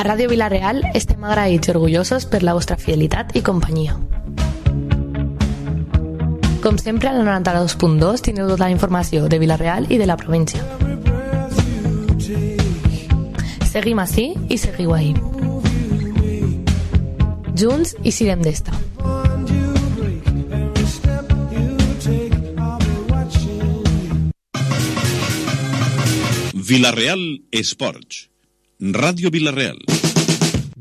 A Ràdio Vila-real estem agraïts i orgullosos per la vostra fidelitat i companyia. Com sempre, a la 92.2 tindreu tota la informació de Vila-real i de la província. Seguim ací i seguiu ahí. Junts i sirem d'esta. Vila-real Esports. Radio Vila-real.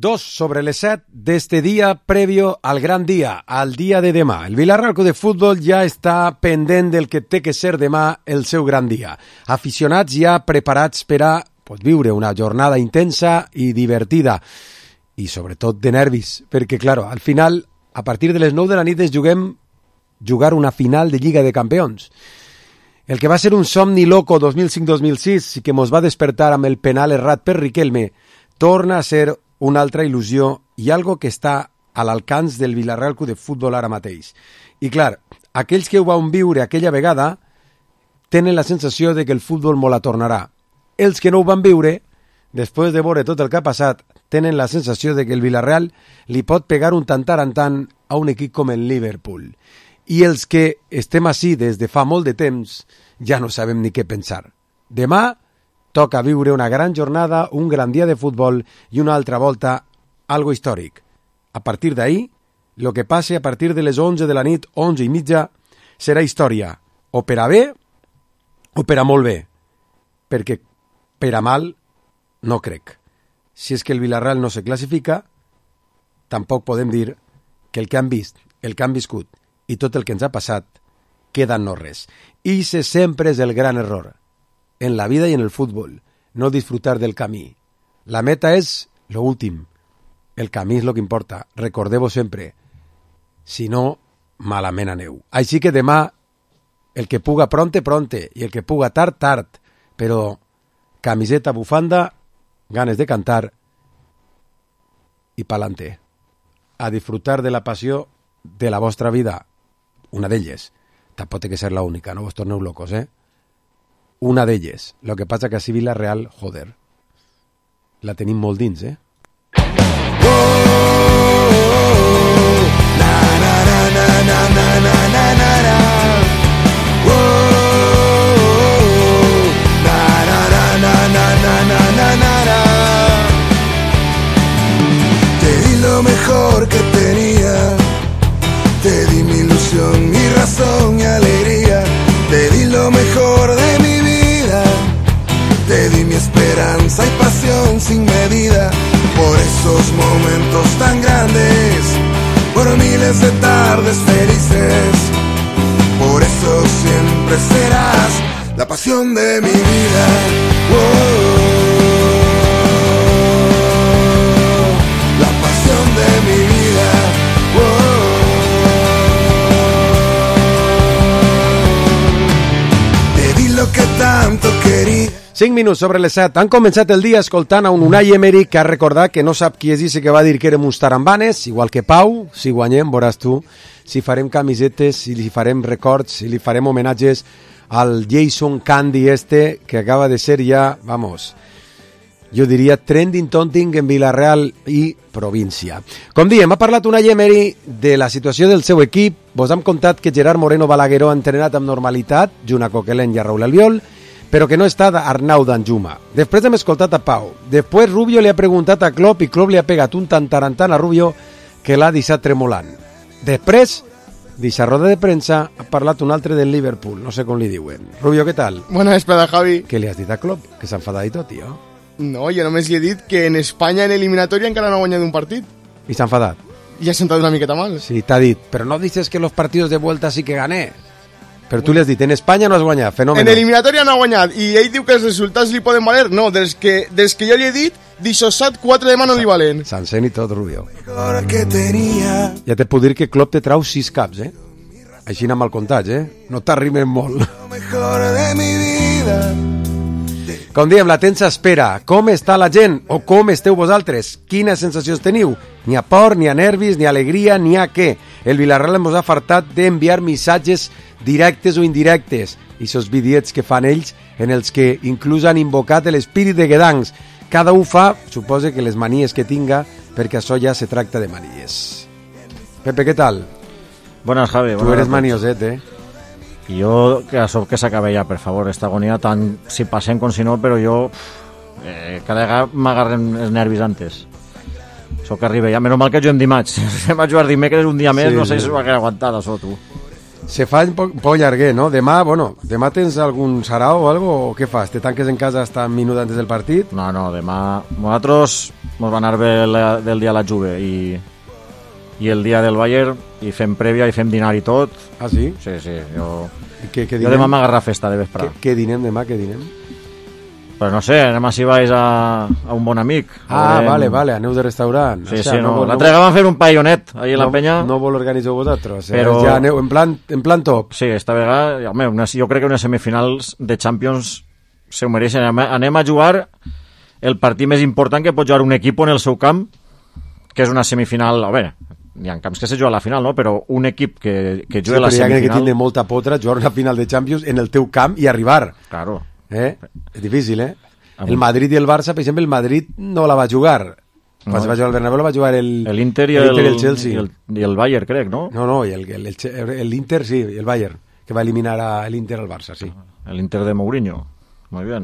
2:07 d'este dia previo al gran dia, al dia de demà. El Vila-real Club de Futbol ja està pendent del que té que ser demà el seu gran dia. Aficionats ja preparats per a viure una jornada intensa i divertida i sobretot de nervis, perquè, claro, al final, a partir de les 9 de la nit ens jugar una final de Lliga de Campions. El que va ser un somni loco 2005-2006 i que mos va despertar amb el penal errat per Riquelme torna a ser una altra il·lusió i algo que està a l'alcance del Vila-real Club de Futbol ara mateix. I clar, aquells que ho van viure aquella vegada tenen la sensació de que el futbol mo la tornarà. Els que no ho van viure, després de veure tot el que ha passat, tenen la sensació de que el Vila-real li pot pegar un tant a un equip com el Liverpool. I els que estem ací des de fa molt de temps ja no sabem ni què pensar. Demà toca viure una gran jornada, un gran dia de futbol i una altra volta algo històric. A partir d'ahir, el que passi a partir de les 11 de la nit, 11:30, serà història, o per a bé o per a molt bé, perquè per a mal no crec. Si és que el Vila-real no se classifica, tampoc podem dir que el que han vist, el que han viscut i tot el que ens ha passat queda en no res. I ese sempre és el gran error. En la vida i en el futbol, no disfrutar del camí. La meta és lo últim. El camí és lo que importa. Recordeu-ho sempre. Si no, malament aneu. Així que demà, el que puga pronte, i el que puga tard, tard. Però camiseta, bufanda, ganes de cantar i pa'lante. A disfrutar de la passió de la vostra vida. Una d'elles. Tampoc té que ser la única, no vos torneu locos, Una d'elles. Lo que passa que a Vila-real, joder, la tenim molt dins, Te di lo mejor que tenía, te di mi ilusión, mi razón y alegría, te di lo mejor de mi vida, te di mi esperanza y pasión sin medida, por esos momentos tan grandes, por miles de tardes felices, por eso siempre serás la pasión de mi vida. La pasión de mi vida. Te di lo que tanto quería. 5 minuts sobre les 7. Han començat el dia escoltant a un Unai Emery que ha recordat que no sap qui és ese que va dir que érem uns tarambanes, igual que Pau. Si guanyem, veuràs tu, si farem camisetes, si li farem records, si li farem homenatges al Jason Candy que acaba de ser ja, vamos, jo diria trending topic en Vila-real i província. Com diem, ha parlat Unai Emery de la situació del seu equip. Vos hem contat que Gerard Moreno Balagueró ha entrenat amb normalitat, junt a Coquelin i a Raúl Albiol, però que no està Arnau Danjuma. Després hem escoltat a Pau. Després Rubio li ha preguntat a Klopp i Klopp li ha pegat un tantarantant a Rubio que l'ha deixat tremolant. Després, d'aquesta roda de premsa, ha parlat un altre del Liverpool, no sé com li diuen. Rubio, què tal? Bona vesprada, Javi. Què li has dit a Klopp? Que s'ha enfadat i tot, tio. No, jo només li he dit que en Espanya en eliminatòria encara no ha guanyat un partit. I s'ha enfadat? I ha sentat una miqueta mal. Sí, t'ha dit, però no dices que los partidos de vuelta sí que gané. Però tu li has dit, en Espanya no has guanyat, fenòmeno. En eliminatòria no ha guanyat, i ell diu que els resultats li poden valer. No, des que jo li he dit, d'aixòsat 4 de mà no li valen. S'encén i tot, Rubio. Ja te puc dir que Klopp te trau 6 caps, Així anar mal comptats, No t'arrimen molt. Com diem, la tensa espera. Com està la gent? O com esteu vosaltres? Quines sensacions teniu? Ni a por, ni a nervis, ni a alegria, ni a què? El Vila-real ens ha fartat d'enviar missatges directes o indirectes. I esos vídeos que fan ells en els que inclús han invocat l'espírit de Guedancs, cada un fa, suposa que les manies que tinga, perquè això ja se tracta de manies. Pepe, ¿qué tal? Buenas, Javi. Tú eres manioset, ¿eh? Y yo, que això que s'acabe ja, per favor, esta agonia, tant si passem com si no, però jo cada vegada m'agarren els nervis antes. Això que arriba ja, menys mal que juguem dimarts. Si va jugar dimecres un dia més, sí, no sé si s'ho va quedar aguantat, això, tu. Se fa un poc llarguer, no? Demà tens algun sarau o algo, o què fas? Te tanques en casa hasta un minut antes del partit? No, demà nosaltres ens va anar bé del dia de la Juve i el dia del Bayern, i fem prèvia i fem dinar i tot. Ah, sí? Sí, jo jo demà m'agarra festa de vesprà. Què dinem demà, què dinem? Però no sé, anem si vais a un bon amic. Vale, aneu de restaurant. Sí, no. L'altre dia vam fer un paellonet ahí a la penya. No vol organitzar vosaltres, però ja aneu en plan top. Sí, esta vegada, jo crec que unes semifinals de Champions se ho mereixen. Anem a jugar el partit més important que pot jugar un equip en el seu camp, que és una semifinal, a veure, hi ha camps que se juga a la final, no? Però un equip que juga a la semifinal... Sí, però hi ha que tindre molta potra jugar una final de Champions en el teu camp i arribar. Claro. És difícil, eh? El Madrid i el Barça, per exemple, el Madrid no la va jugar. Quan se va jugar al Bernabéu la va jugar l'Inter i el Chelsea. I el Bayern, crec, no? No, i l'Inter sí, i el Bayern, que va eliminar l'Inter al Barça, sí. L'Inter de Mourinho, molt bé.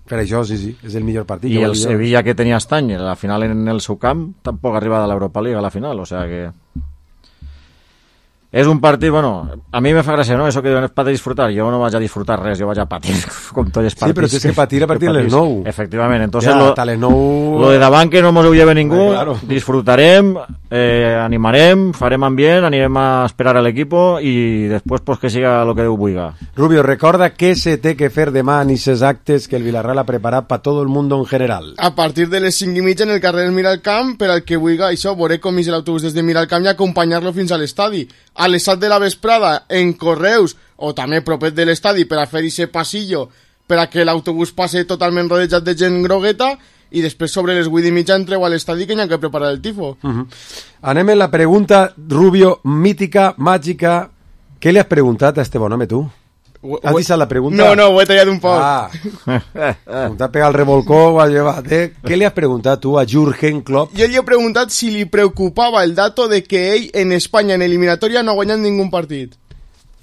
Per això, sí, és el millor partit. I el Sevilla que tenia estany, la final en el seu camp, tampoc ha arribat a l'Europa League a la final, o sea que... És un partit, bueno, a mi me fa gràcia, ¿no? Eso que diuen és para disfrutar. Jo no vaig a disfrutar res, jo vaig a patir com tots els partits. Sí, però és que patir a partir de les 9. Efectivament, entonces lo de davant que no mos ho lleve ningú, claro. Disfrutarem, animarem, farem ambient, anirem a esperar a l'equipo i després pues, que siga lo que Déu vulga. Rubio, recorda què se té que fer demà en aquests actes que el Villarreal ha preparat per tot el món en general. A partir de les 5:30 en el carrer Miralcamp, per al que vulga, això, veure com és l'autobús des de Miralcamp i acompanyar-lo fins a l'estadi. A les 7 de la vesprada en Correus o també propet de l'estadi per a fer aquest passillo per a que l'autobús passe totalment rodejat de gent grogueta i després sobre les 8:30 entreu a l'estadi que hi ha que preparar el tifo. Anem en la pregunta, Rubio, mítica, màgica. Què li has preguntat a este bon home, tu? Has deixat la pregunta? No, ho he tallat un poc. T'ha pegat el revolcó, ho has llevat, Què li has preguntat tu a Jürgen Klopp? Jo li he preguntat si li preocupava el dato de que ell en Espanya en eliminatoria no ha guanyat ningún partit.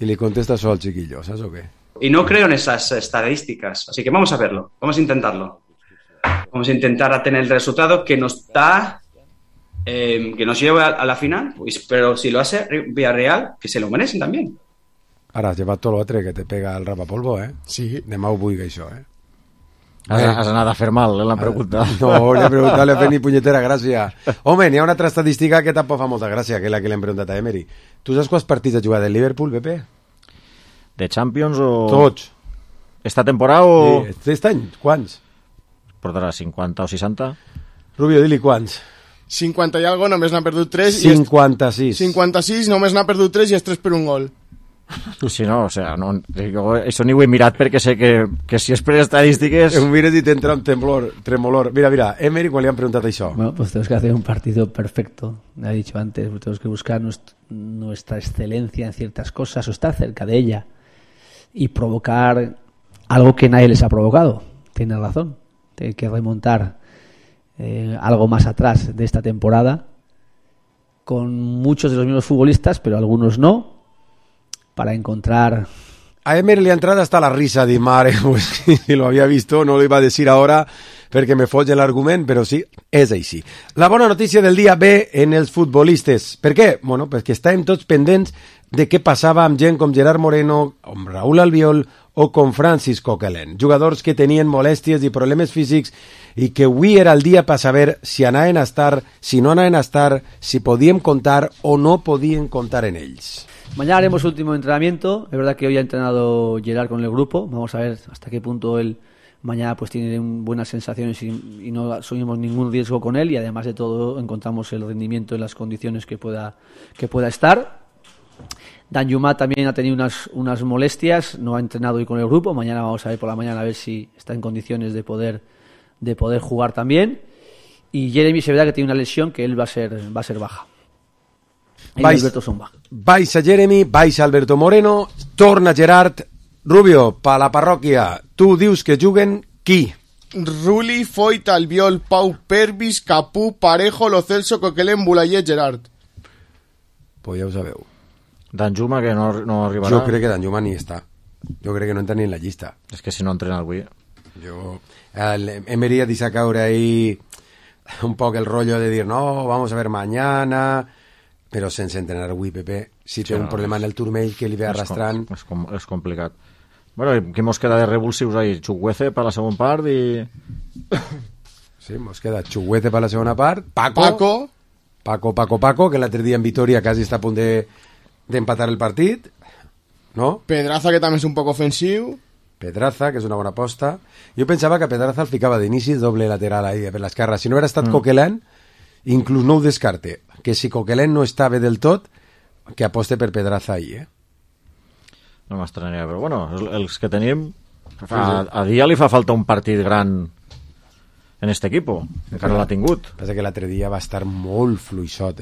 Y le contesta eso al chiquillo, ¿sabes o qué? Y no creo en esas estadísticas, así que vamos a verlo, vamos a intentarlo. Vamos a intentar a tener el resultado que nos da, que nos lleve a la final, pues, pero si lo hace Villarreal, que se lo merecen también. Ara has llevat tot l'altre que te pega el rapapolvo, Sí. Demà ho vull, això, Has anat a fer mal, la pregunta. No, li he preguntat, li he fet ni punyetera gràcia. Home, n'hi ha una altra estadística que tampoc fa molta gràcia, que és la que l'hem preguntat a Emery. Tu saps quants partits ha jugat el Liverpool, Pepe? De Champions o...? Tots. Esta temporada o...? Sí, aquest any, quants? Portarà 50 o 60? Rubio, di-li quants. 50 i algo, només n'ha perdut 3. 56. 56, només n'ha perdut 3 i és 3 per un gol. Sí, no, o sea, no, jo això ni ho he mirat perquè sé que si és per estadístiques... Ho mires i t'entra un tremolor. Mira, Emery, quan li han preguntat això? Bueno, pues tenemos que hacer un partido perfecto. Me ha dicho antes, tenemos que buscar nuestra excelencia en ciertas cosas o estar cerca de ella y provocar algo que nadie les ha provocado. Tiene razón. Hay que remontar algo más atrás de esta temporada con muchos de los mismos futbolistas, pero algunos no, para encontrar... A Emery le ha entrado hasta la risa de mare, pues si lo había visto, no lo iba a decir ahora perquè me folla l'argument, però sí, és així. La bona notícia del dia ve en els futbolistes. Per què? Bueno, perquè estàvem tots pendents de què passava amb gent com Gerard Moreno, amb Raúl Albiol o com Francis Coquelin, jugadors que tenien molèsties i problemes físics i que avui era el dia per saber si anaven a estar, si no anaven a estar, si podíem contar o no podíem contar en ells. Mañana haremos último entrenamiento. Es verdad que hoy ha entrenado Gerard con el grupo. Vamos a ver hasta qué punto él mañana pues tiene buenas sensaciones y no asumimos ningún riesgo con él, y además de todo encontramos el rendimiento en las condiciones que pueda estar. Danjuma también ha tenido unas molestias, no ha entrenado hoy con el grupo. Mañana vamos a ver por la mañana a ver si está en condiciones de poder jugar también. Y Jeremy, es verdad que tiene una lesión que él va a ser baja. Baixa Jeremy, baixa Alberto Moreno, torna Gerard. Rubio, pa la parròquia, tu dius que juguen qui? Ruli, Foyt, Albiol, Pau, Pervis, Capú, Parejo, Lo Celso, Coquelin, Bulayer, Gerard. Pues ja ho sabeu. Danjuma, que no arribarà. Jo crec que Danjuma ni està. Jo crec que no entra ni en la llista. És que si no entrena avui... Emery ha deixat caure ahí un poc el rollo de dir no, vamos a ver mañana, però sense entrenar avui, Pepe. Si té un problema en el turmell que li ve arrastrant... És complicat. Bueno, i què mos queda de revulsius ahí? Chukwueze per la segona part i... Sí, mos queda Chukwueze per la segona part, Paco, que l'altre dia en Vitoria quasi està a punt d'empatar el partit, no? Pedraza, que també és un poc ofensiu. Pedraza, que és una bona aposta. Jo pensava que Pedraza el ficava d'inici doble lateral ahí per l'esquerra. Si no haguera estat Coquelin, inclús no ho descarte. Que si Coquelin no està bé del tot, que aposte per Pedraza ahí, No m'estranyaria, però bueno, els que tenim... A dia li fa falta un partit gran en este equipo. Encara l'ha tingut. Passa que l'altre dia va estar molt fluixot,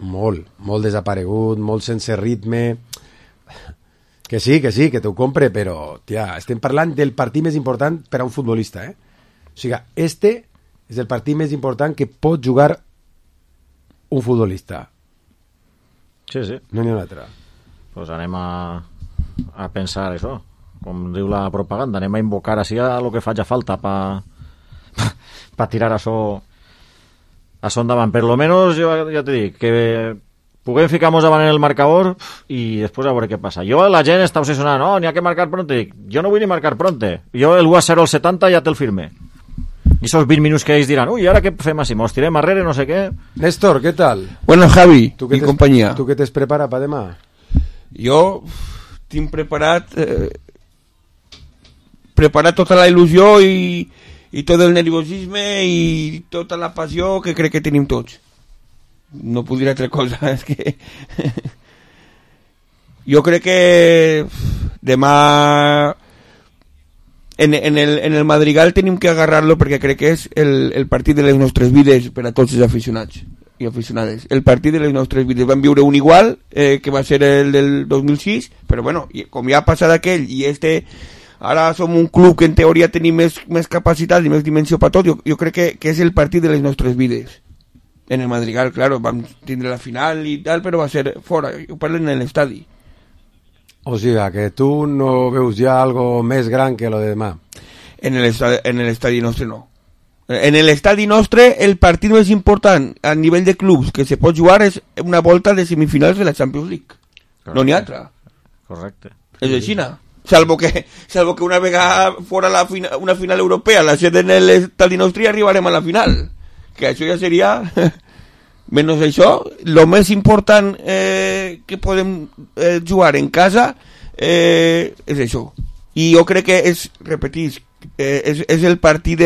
Molt desaparegut, molt sense ritme... Que sí, que t'ho compre, però, tia, estem parlant del partit més important per a un futbolista, O sigui, este és el partit més important que pot jugar un futbolista. Sí. No n'hi ha un altre. Pues anem a pensar això, com diu la propaganda, anem a invocar així a lo que faci falta pa tirar això endavant. Per lo menos, jo ja t'he dit, que puguem ficar-nos davant en el marcador i després a veure què passa. La gent està obsessionada, no, n'hi ha que marcar pronte. Jo no vull ni marcar pronte. Jo el 1-0 al 70 ja te'l firme. I esos 20 minuts que ells diran, uy, ¿ahora qué fem así? ¿Nos tirem arrere, no sé qué? Néstor, ¿qué tal? Bueno, Javi i companyia. Tu què t'has preparat per demà? Jo tinc preparat tota la il·lusió i tot el nerviosisme i tota la passió que crec que tenim tots. No puc dir altra cosa, és que jo crec que demà en el Madrigal tenim que agarrar-lo perquè crec que és el partit de les nostres vides per a tots els aficionats i aficionades. El partit de les nostres vides. Vam viure un igual, que va ser el del 2006, però bueno, com ja ha passat aquell i ara som un club que en teoria tenim més capacitat i més dimensió per tot, jo crec que és el partit de les nostres vides. En el Madrigal, claro, vam tindre la final i tal, però va ser fora, ho parlen en l'estadi. O sigui, que tu no veus ja algo més gran que lo de demà. En l'estadi nostre no. En l'estadi nostre el partit més important a nivell de clubs que se pot jugar és una volta de semifinals de la Champions League. Correcte. No n'hi ha altra. Correcte. És així, no? Salvo que una vegada fora una final europea la sede en l'estadi nostre arribarem a la final. Que això ja seria... Menys això, el més important que podem jugar en casa és això. I jo crec que repetís, és el partit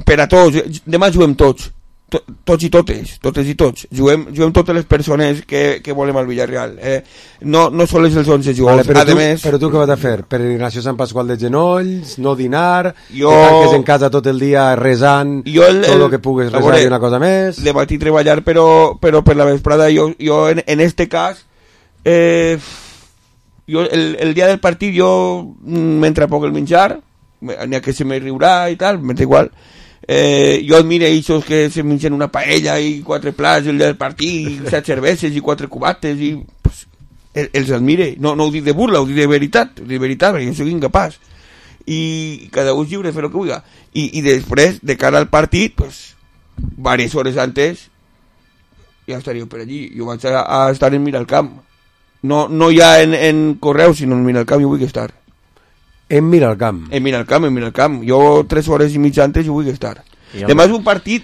per a tots. Demà juguem tots i tots. Juguem totes les persones que volem al Villarreal. No sols els 11 jugadors. Vale, però tu què vas a fer? Peregrinació Sant Pasqual de genolls, no dinar, que tanques en casa tot el dia resant, tot el que pugues resar i una cosa més. De matí treballar, però per la vesprada jo en este cas el dia del partit jo mentre poc el menjar, n'hi ha que se me riurà i tal, m'és igual. Jo admiro aquests que se mengen una paella i 4 plats el dia del partit, 7 cerveses i 4 cubates i pues, els admire, no ho dic de burla, ho dic de veritat perquè jo soc incapaç i cada un és lliure de fer el que vulgui i després, de cara al partit pues, diverses hores antes ja estaria per allí, jo vaig a estar en Miralcamp, no ja en Correus, sinó en Miralcamp jo vull estar. En Miralcamp. Jo 3 hores i mitja antes jo vull estar. Demà és un partit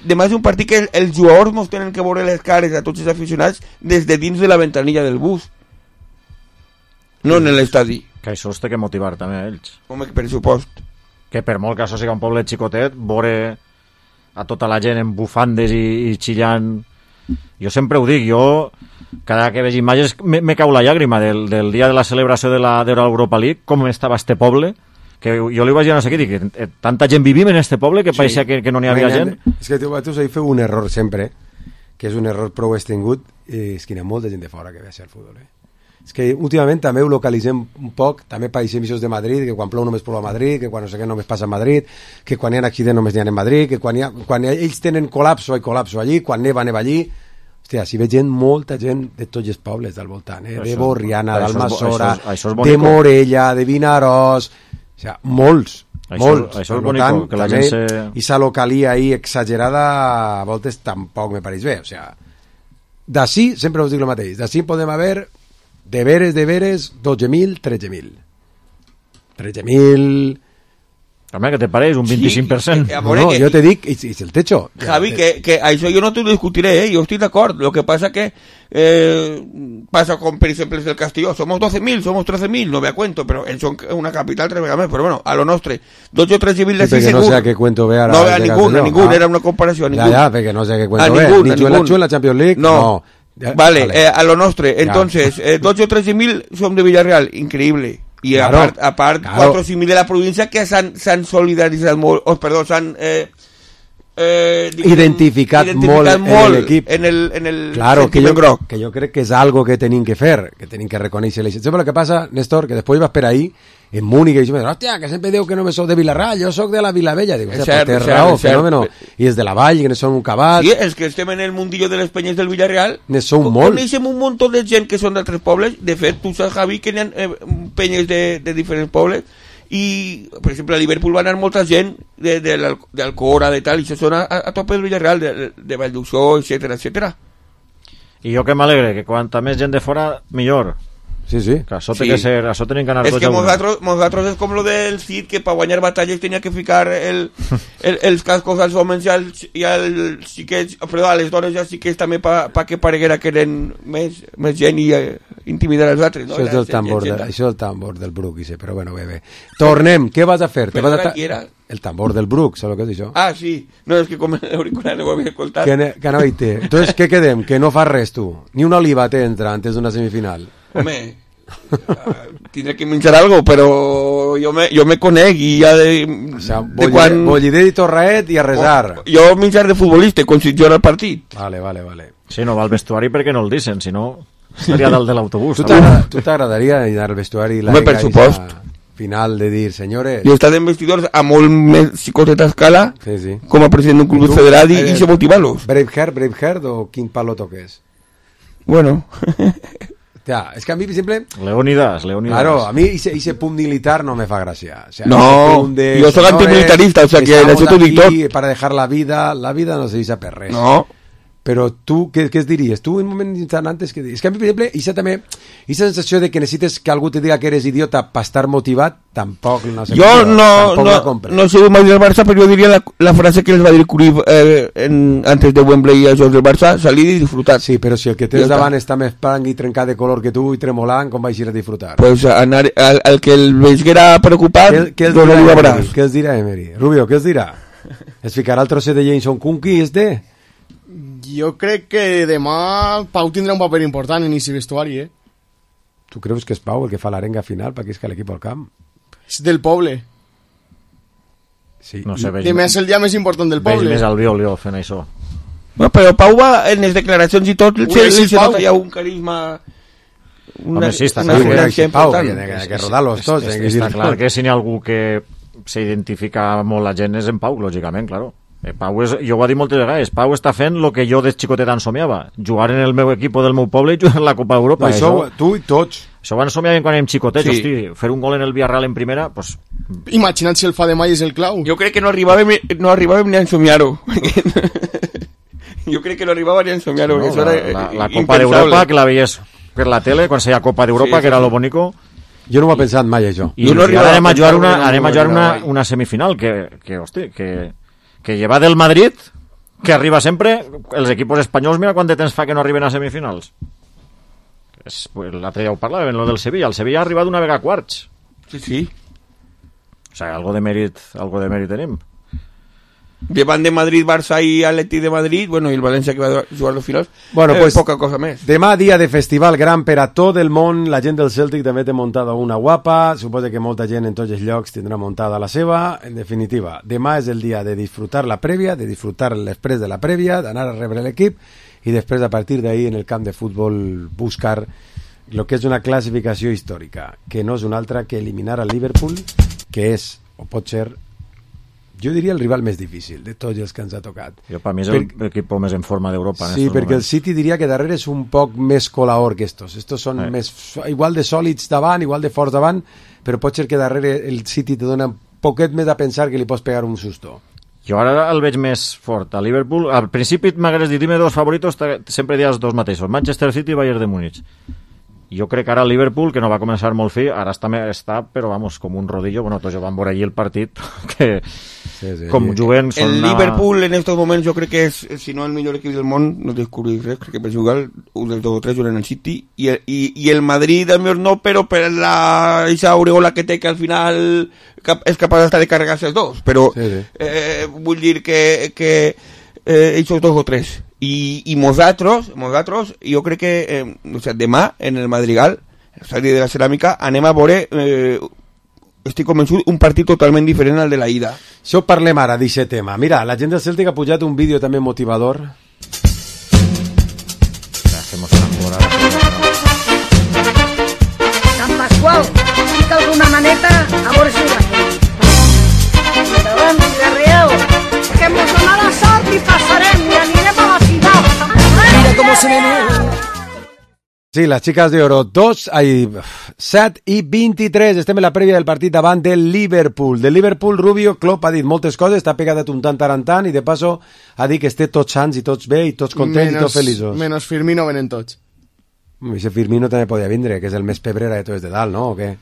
que els jugadors mos tenen que veure les cares a tots els aficionats des de dins de la ventanilla del bus. No en l'estadi. Que això els té que motivar també a ells. Home, per supost. Que per molt que això sigui un poble xicotet, veure a tota la gent en bufandes i xillant... Jo sempre ho dic, cada que veig imatges me cau la llàgrima del dia de la celebració de l'Europa League, com estava este poble, que jo li vaig dir a no sé què, dic, tanta gent vivim en este poble que pareixia que no n'hi havia gent. És que tu feu un error sempre, que és un error prou extingut, és que hi ha molta gent de fora que ve a ser el futbol. És que últimament també ho localitzem un poc, també pareixem eixos de Madrid, que quan plou només plou a Madrid, que quan no sé què només passa a Madrid, que quan hi ha accident només n'hi ha en Madrid, que quan ells tenen col·lapso, hi col·lapso allí, quan neva allí. Hòstia, si ve gent, molta gent de tots els pobles del voltant, de Borriana, d'Almassora, de Morella, de Vinaròs, o sigui, molts. Això és bonic, que la gent se... I sa localia ahí exagerada a voltes tampoc me pareix bé, o sigui, d'ací, sempre us dic el mateix, d'ací podem haver de veres, 12.000, 13.000. 13.000... Home, què te pareix? Un 25%? Sí, no, jo te dic, és el techo. Javi, que això jo no te lo discutiré, yo estoy de acuerdo. Lo que pasa que pasa con, por ejemplo, el Castelló. Somos 12.000, somos 13.000, no me cuento, pero son una capital 3 vegades més. Però bueno, a lo nostre, 12 o 13.000 de sí, segur. No sé a què cuento ve ara. No ve a ningún, era una comparació. Ja, perquè no sé a què cuento ve. Ni Chuela en la Champions League, no. Vale, a lo nostre. Entonces, 12 o 13.000 son de Villarreal, increïble. I claro, a part 4 o 5.000 de la província que s'han solidaritzat molt, s'han identificat molt en l'equip. En el claro, que jo crec que és algo que tenim que fer, que tenim que reconèixer. Sempre el que passa, Néstor, que després vas per ahí en Múnich i dius, hòstia, que sempre diu que no soc de Vilarral, jo soc de la Vilavella. Dic, té raó, fenòmeno. I és de la Vall, que ne són un cabat. Sí, és que estem en el mundillo de les penyes del Villarreal. Ne són molt. Coneixem un munt de gent que són d'altres pobles. De fet, tu saps, Javi, que hi ha penyes de diferents pobles. I, per exemple, a Liverpool va anar molta gent d'Alcora, de tal, i això són a tope del Villarreal, de Valldusó, etcètera. I jo que m'alegre, que quanta més gent de fora, millor. Sí, sí. Que això té que ser, això tenen que anar tots a una. És que nosaltres és com lo del Cid, que per guanyar batalles tenia que ficar els cascos als homes i als xiquets, perdó, a les dones i als xiquets també perquè pareguera que eren més gent i intimidar els altres, no? Això és el tambor del Bruc, però bueno, bé. Tornem, què vas a fer? El tambor del Bruc, saps el que és això? Ah, sí. No, és que com l'auricular no ho havia escoltat. Que no hi té. Entonces, què quedem? Que no fas res, tu. Ni una oliva t'entra antes d'una semifinal. Home, tindré que menjar algo, però jo me conec i ja o sea, bollider i torraet i a resar. Jo menjar de futbolista, com si jo era el partit. Vale. Sí, no va al vestuari perquè no el dicen, si no estaria dalt de l'autobús. Tu t'agradaria anar al vestuari i per supost. Final de dir, senyores... Jo he estat en vestidors a molt més xicoteta escala, sí. Com a president d'un club federat i se motivar-los. Braveheart o quin palo toques? Bueno... Ja, és que a mi, per exemple... Leonidas. Claro, a mi ese punt militar no me fa gràcia. O sea, no, jo soc antimilitarista, o sea que això t'ho dic tot. Para dejar la vida no se deixa per res. No. Però tu, què es diries? Tu, en un moment instant antes, què diries? És que a mi, per exemple, aquesta sensació de que necessites que algú te diga que eres idiota per estar motivat, tampoc no sé. Jo no soy mai del Barça, però jo diria la frase que les va dir Cruyff antes de Wembley als jocs del Barça, salir i disfrutar. Sí, però si el que tens davant està més blanc i trencat de color que tu i tremolant, com vaig ir a disfrutar? Pues anar, el que el veiguera preocupat, què els dirà Emery? Rubio, què els dirà? Es ficarà el trosset de Jameson Kunki este? Jo crec que demà Pau tindrà un paper important en aquest vestuari, Tu creus que és Pau el que fa l'arenga final perquè és que l'equip al camp? És del poble. Sí. No sé, I més el dia més important del poble. Veig més al Violio fent això. Bueno, però Pau va en les declaracions i tot, se nota ja un carisma... Home, sí, està clar que Pau, que rodar-los tots. Està clar que si n'hi ha algú que s'identifica molt la gent és en Pau, lògicament, claro. Pau és, jo ho he dit moltes vegades, Pau està fent el que jo de xicotet somiava, jugar en el meu equip del meu poble i jugar en la Copa d'Europa. Això, tu i tots. Això ho somiaven quan érem xicotets, hosti, fer un gol en el Villarreal en primera, pues... Imagina't si el fa de mai és el clau. Jo crec que no arribàvem ni a ensomiar-ho. Jo crec que no arribàvem ni a ensomiar-ho. La Copa d'Europa, que la veies per la tele, quan seia Copa d'Europa, que era lo bonico... Jo no ho he pensat mai, això. I ara anem a jugar una semifinal, que hosti, que lleva del Madrid, que arriba sempre, els equipos espanyols, mira quant de temps fa que no arriben a semifinals. L'altre dia ho parlàvem, lo del Sevilla. El Sevilla ha arribat una vegada a quarts. Sí. O sigui, algo de mèrit tenim. Llevant de Madrid, Barça i Atleti de Madrid, bueno, i el València que va jugar los finals, pues, poca cosa més. Demà dia de festival gran per a tot el món, la gent del Celtic també té muntada una guapa, suposa que molta gent en tots els llocs tindrà muntada la seva. En definitiva, demà és el dia de disfrutar la prèvia, de disfrutar després de la prèvia, d'anar a rebre l'equip i després a partir d'ahí en el camp de futbol buscar el que és una classificació històrica, que no és una altra que eliminar al Liverpool, que és, o pot ser, jo diria el rival més difícil de tots els que ens ha tocat. Jo, per mi és l'equip més en forma d'Europa. Sí, perquè el City diria que darrere és un poc més colaor que estos. Estos són més, igual de sòlids davant, igual de forts davant, però pot ser que darrere el City te dona un poquet més a pensar que li pots pegar un susto. Jo ara el veig més fort a Liverpool. Al principi m'hagués dit, dime dos favoritos, sempre dius dos mateixos, Manchester City i Bayern de Múnich. Jo crec que ara el Liverpool, que no va començar molt fi, ara està, però vamos, com un rodillo. Bueno, tots van veure allí el partit, que com juguen són el Liverpool en estos moments jo crec que és, si no el millor equip del món, no descobrir res, crec que per jugar un dels dos o tres juguen el City i el Madrid a millor no, però per esa aureola que té que al final és capaç de carregar-se els dos, però vull dir que ells dos o tres i nosaltres jo crec que demà en el Madrigal, el estadi de la Ceràmica, anem a veure estic convençut, un partit totalment diferent al de la ida. Això parlem ara d'aquest tema. Mira, la gent del Celtic ha pujat un vídeo també motivador. Sant Pasqual, fica alguna maneta a veure si ho veiem. Endavant, Villarreal, que mos donarà la sort i passarem i anirem a la final. Mira com se menú. Sí, les xiques d'Oro, 7 i 23, estem en la prèvia del partit davant del Liverpool. Del Liverpool, Rubio, Klopp ha dit moltes coses, està pegat un tant i de passo ha dit que esté tots sants i tots bé i tots contents i tots feliços. Menos Firmino venen tots. Ese Firmino també podia vindre, que és el més pebrera de tots de dalt, no? O què?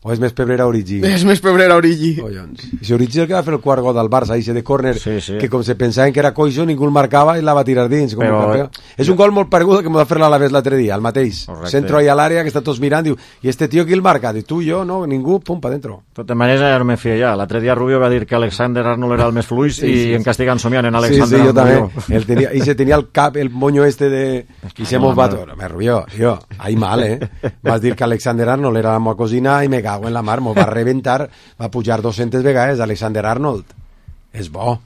O és més pebrera Origi? És més pebrera Origi. I si Origi el que va fer el quart gol del Barça, ese de córner, que com se pensaven que era coixo, ningú el marcava i la va tirar dins. És un gol molt paregut que m'ho va fer l'Alavés l'altre dia, el mateix. Centro ahí a l'àrea, que està tots mirant, diu, i este tío qui el marca? Diu, tu, jo, no, ningú, pum, pa dentro. De tota manera, ja no me fio ja. L'altre dia Rubio va dir que Alexander Arnold era el més fluix i en castigant somiant en Alexander Arnold. Sí, jo també. I se tenia el cap, el moño este de... I se mos va tot. Rubio, jo, ahí mal, Vas dir que Alexander Arnold era la meva cosina i me cago en la mar, mos va reventar, va pujar 200 vegades Alexander Arnold. És bo.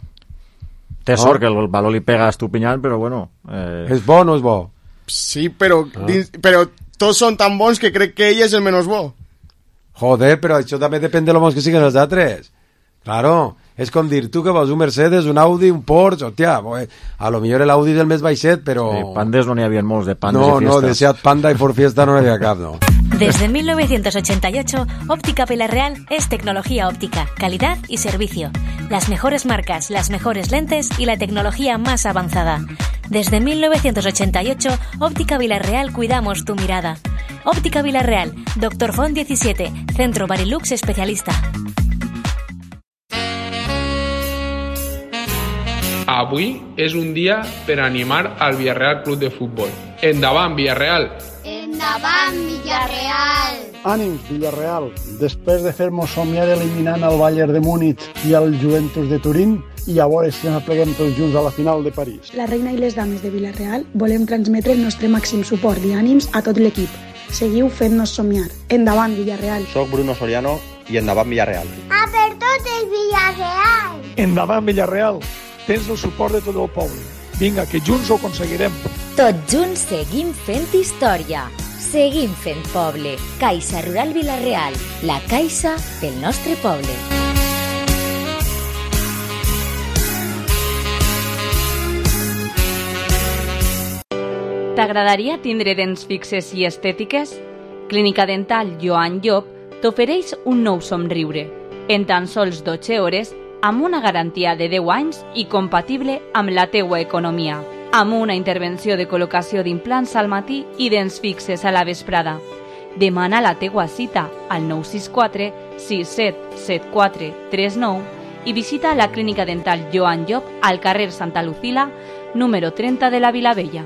Té sort que el valor li pega estupinyant, però bueno... És bo o no és bo? Sí, però tots són tan bons que crec que ell és el menys bo. Joder, però això també depèn de lo bons que siguin els altres. Claro, és com dir, tu que vols un Mercedes, un Audi, un Porsche, hòstia, a lo millor l'Audi és el més baixet, però... Sí, Pandes no n'hi havia molts, de Pandes i Fiestas. No, de Seat Panda i Ford Fiesta no n'hi havia cap, no. Desde 1988, Óptica Villarreal es tecnología óptica, calidad y servicio. Las mejores marcas, las mejores lentes y la tecnología más avanzada. Desde 1988, Óptica Villarreal cuidamos tu mirada. Óptica Villarreal, Dr. Font 17, Centro Barilux especialista. Avui és un dia per animar al Villarreal Club de Futbol. Endavant, Villarreal! Endavant, Villarreal! Ànims, Villarreal! Després de fer-nos somiar eliminant el Bayern de Múnich i el Juventus de Turín, i a veure si ens apleguem tots junts a la final de París. La reina i les dames de Villarreal volem transmetre el nostre màxim suport i ànims a tot l'equip. Seguiu fent-nos somiar. Endavant, Villarreal! Soc Bruno Soriano i endavant, Villarreal! A per tot el Villarreal! Endavant, Villarreal! Tens el suport de tot el poble. Vinga, que junts ho aconseguirem. Tots junts seguim fent història. Seguim fent poble. Caixa Rural Villarreal. La caixa del nostre poble. T'agradaria tindre dents fixes i estètiques? Clínica Dental Joan Llop t'ofereix un nou somriure. En tan sols 12 hores, amb una garantia de 10 anys i compatible amb la teua economia. Amb una intervenció de col·locació d'implants al matí i dents fixes a la vesprada. Demana la teua cita al 964 6774 39 i visita la Clínica Dental Joan Llop al carrer Santa Lucila, número 30 de la Vilavella.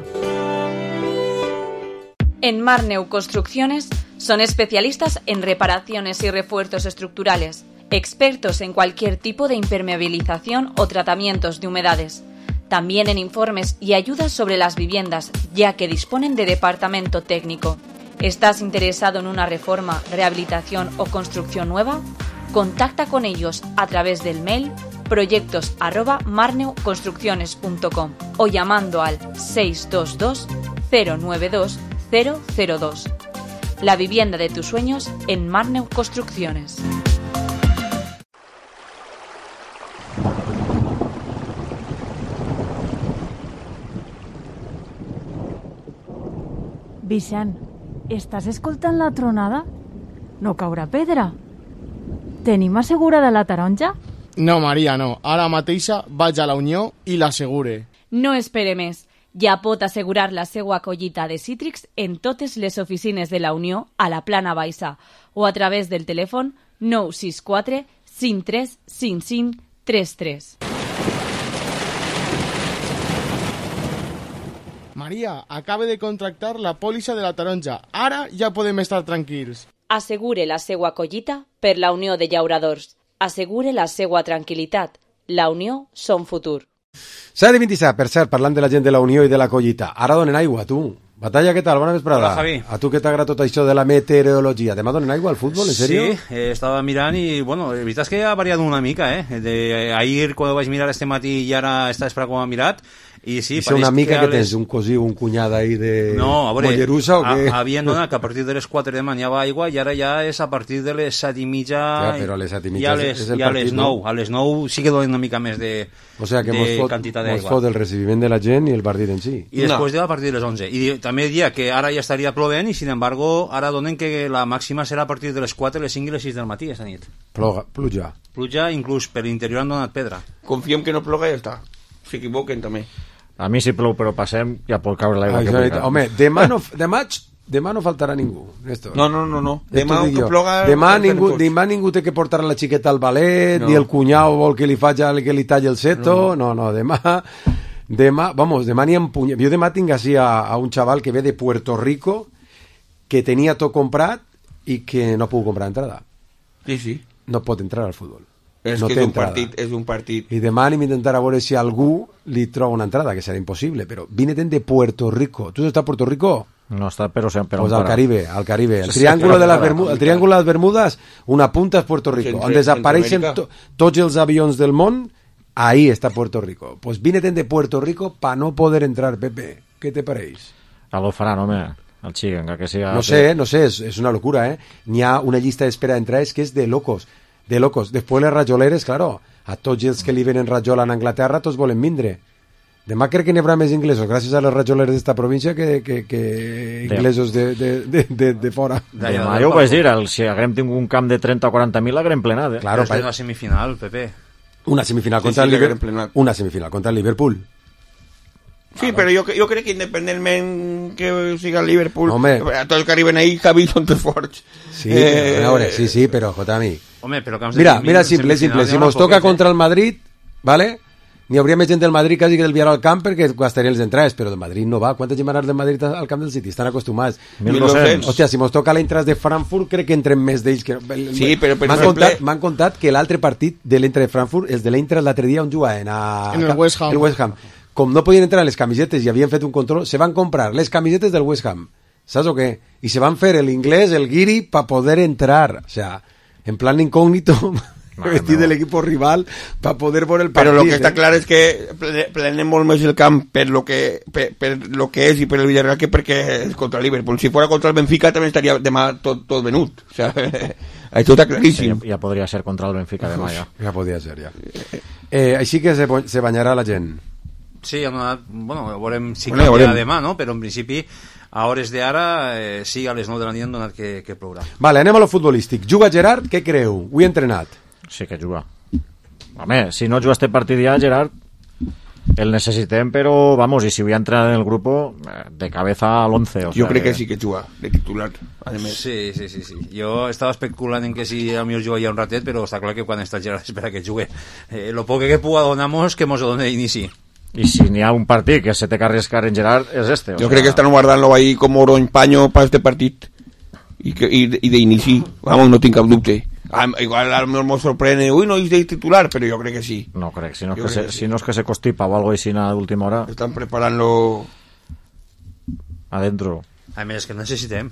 En Marneu Construcciones son especialistas en reparaciones y refuerzos estructurales, expertos en cualquier tipo de impermeabilización o tratamientos de humedades. También en informes y ayudas sobre las viviendas, ya que disponen de departamento técnico. ¿Estás interesado en una reforma, rehabilitación o construcción nueva? Contacta con ellos a través del mail proyectos@marneuconstrucciones.com o llamando al 622 092 002. la vivienda de tus sueños en Marneu Construcciones. Vicent, estàs escoltant la tronada? No caurà pedra? Tenim assegurada la taronja? No, Maria, no. Ara mateixa vaig a la Unió i l'assegure. No espere més. Ja pot assegurar la seva collita de cítrics en totes les oficines de la Unió a la Plana Baixa o a través del telèfon 964 53 55 33. Maria, acabe de contractar la pòlissa de la taronja. Ara ja podem estar tranquils. Assegure la seva collita per la Unió de Llauradors. Assegure la seva tranquil·litat. La Unió són futur. S'ha de 27, per cert, parlant de la gent de la Unió i de la collita. Ara donen aigua, tu. Batalla, què tal? Bona vesprada. Hola, Javi. A tu què t'agrada tot això de la meteorologia? Demà donen aigua al futbol, en sèrio? Sí, estava mirant i, bueno, la veritat és que ha variat una mica, ahir, quan ho vaig mirar este matí i ara esta vespre quan ho he mirat, i sí, pareix una mica que tens un cosí o un cunyat ahí de no, a veure, Mollerussa o què? Havien donat que a partir de les 4 de demà hi havia aigua i ara ja és a partir de les 7 i mitja ja, però a les 7 i mitja és el partit, partit, no? A les 9 sí que donen una mica més de, o sea, que quantitat d'aigua. Mos fot el recibiment de la gent i el partit en si. I després a partir de les 11. I també diria que ara ja estaria plovent i, sin embargo, ara donen que la màxima serà a partir de les 4, les 5 i les 6 del matí esta nit. Pluja. Pluja, inclús per l'interior han donat pedra. Confiem que no ploga i ja està. S'equivoquen també. A mi si plou però passem ja pot caure l'aigua que vulgui. Home, demà no faltarà ningú, Néstor. No. Demà que ploga... Demà ningú té que portar la xiqueta al ballet, ni el cunyau vol que li talli el seto, no, demà n'hi ha empunyat. Jo demà tinc així a un xaval que ve de Puerto Rico que tenia tot comprat i que no puc comprar entrada. Sí. No pot entrar al futbol. És no que és un partit. I demà anem a intentar a veure si algú li troba una entrada, que serà impossible, però vine de Puerto Rico. Tu estàs a Puerto Rico? No està, però sempre... Pues al Caribe. El triángulo de las Bermudas, una punta és Puerto Rico. On desapareixen tots els avions del món, ahí està Puerto Rico. Pues vine de Puerto Rico pa no poder entrar, Pepe. ¿Qué te pareix? A lo faran, home. El xiguen, que siga... No sé, és una locura, N'hi ha una llista d'espera d'entrades que és de locos. Després les rajoleres, claro, a tots els que li venen rajola en Anglaterra, tots volen vindre. Demà crec que n'hi haurà més inglesos, gràcies a les rajoleres d'esta província, que inglesos de fora. Demà jo ho vaig dir, si haguem tingut un camp de 30 o 40.000, l'haguem plenat. Claro, és una semifinal, Pepe. Una semifinal contra el Liverpool. Sí, però jo crec que independentment que siga el Liverpool, a tots els que arriben ahí, Javi, són tots forts. Sí, a veure, sí, però, Jotami. Home, però mira, simple. Si mos toca contra el Madrid, ¿vale? N'hi hauria més gent del Madrid quasi que del Villarreal al camp perquè gastarien les entrades, però del Madrid no va. Quanta gent va anar del Madrid al camp del City? Estan acostumats. 1.200. Hòstia, si mos toca l'Eintracht de Frankfurt, crec que entrem més d'ells. Sí, però per exemple... M'han contat que l'altre partit de l'Eintracht de Frankfurt, els de l'Eintracht l'altre dia on jugaven en el West Ham. Com no podien entrar les camisetes i havien fet un control, se van comprar les camisetes del West Ham. ¿Sabes o qué? Y se van a hacer el inglés, el guiri, para poder entrar. O sea, en plan incógnito, vestir del equipo rival, para poder ver el partido. Pero lo que está claro es que planeem molt més el camp per lo que és i per el Villarreal que perquè és contra el Liverpool. Si fuera contra el Benfica també estaria demà tot venut. O sea, això està claríssim. Ja podria ser contra el Benfica demà, ja. Ja podria ser, ja. Així que se banyarà la gent. Sí, veurem si canvia demà, no? Però en principi a hores d'ara sí, a les 9 de la nit han donat que plourà. Vale, anem a lo futbolístic. Juga Gerard, què creu? Ho he entrenat. Sí que juga. Home, si no juga este partit ja, Gerard, el necessitem, però, vamos, i si vull entrar en el grupo, de cabeza al 11. Jo crec que sí que juga, de titular, además. Sí. Jo estava especulant en que si a mi jugaria un ratet, però està clar que quan està Gerard espera que jugue. Lo poc que puga donamos, que mos lo done d'inici. Y si n'hi ha un partit que se té que arriesgar en Gerard, és este. Yo creo que están guardant-lo ahí como oro en paño para este partit. Y de inici, vamos, no tinc cap dubte. Igual a lo mejor me sorprende, uy, no és de titular, pero yo creo que sí. No crec, si no és que se constipa o algo així a última hora. Están preparant-lo adentro. A més, és que necessitem.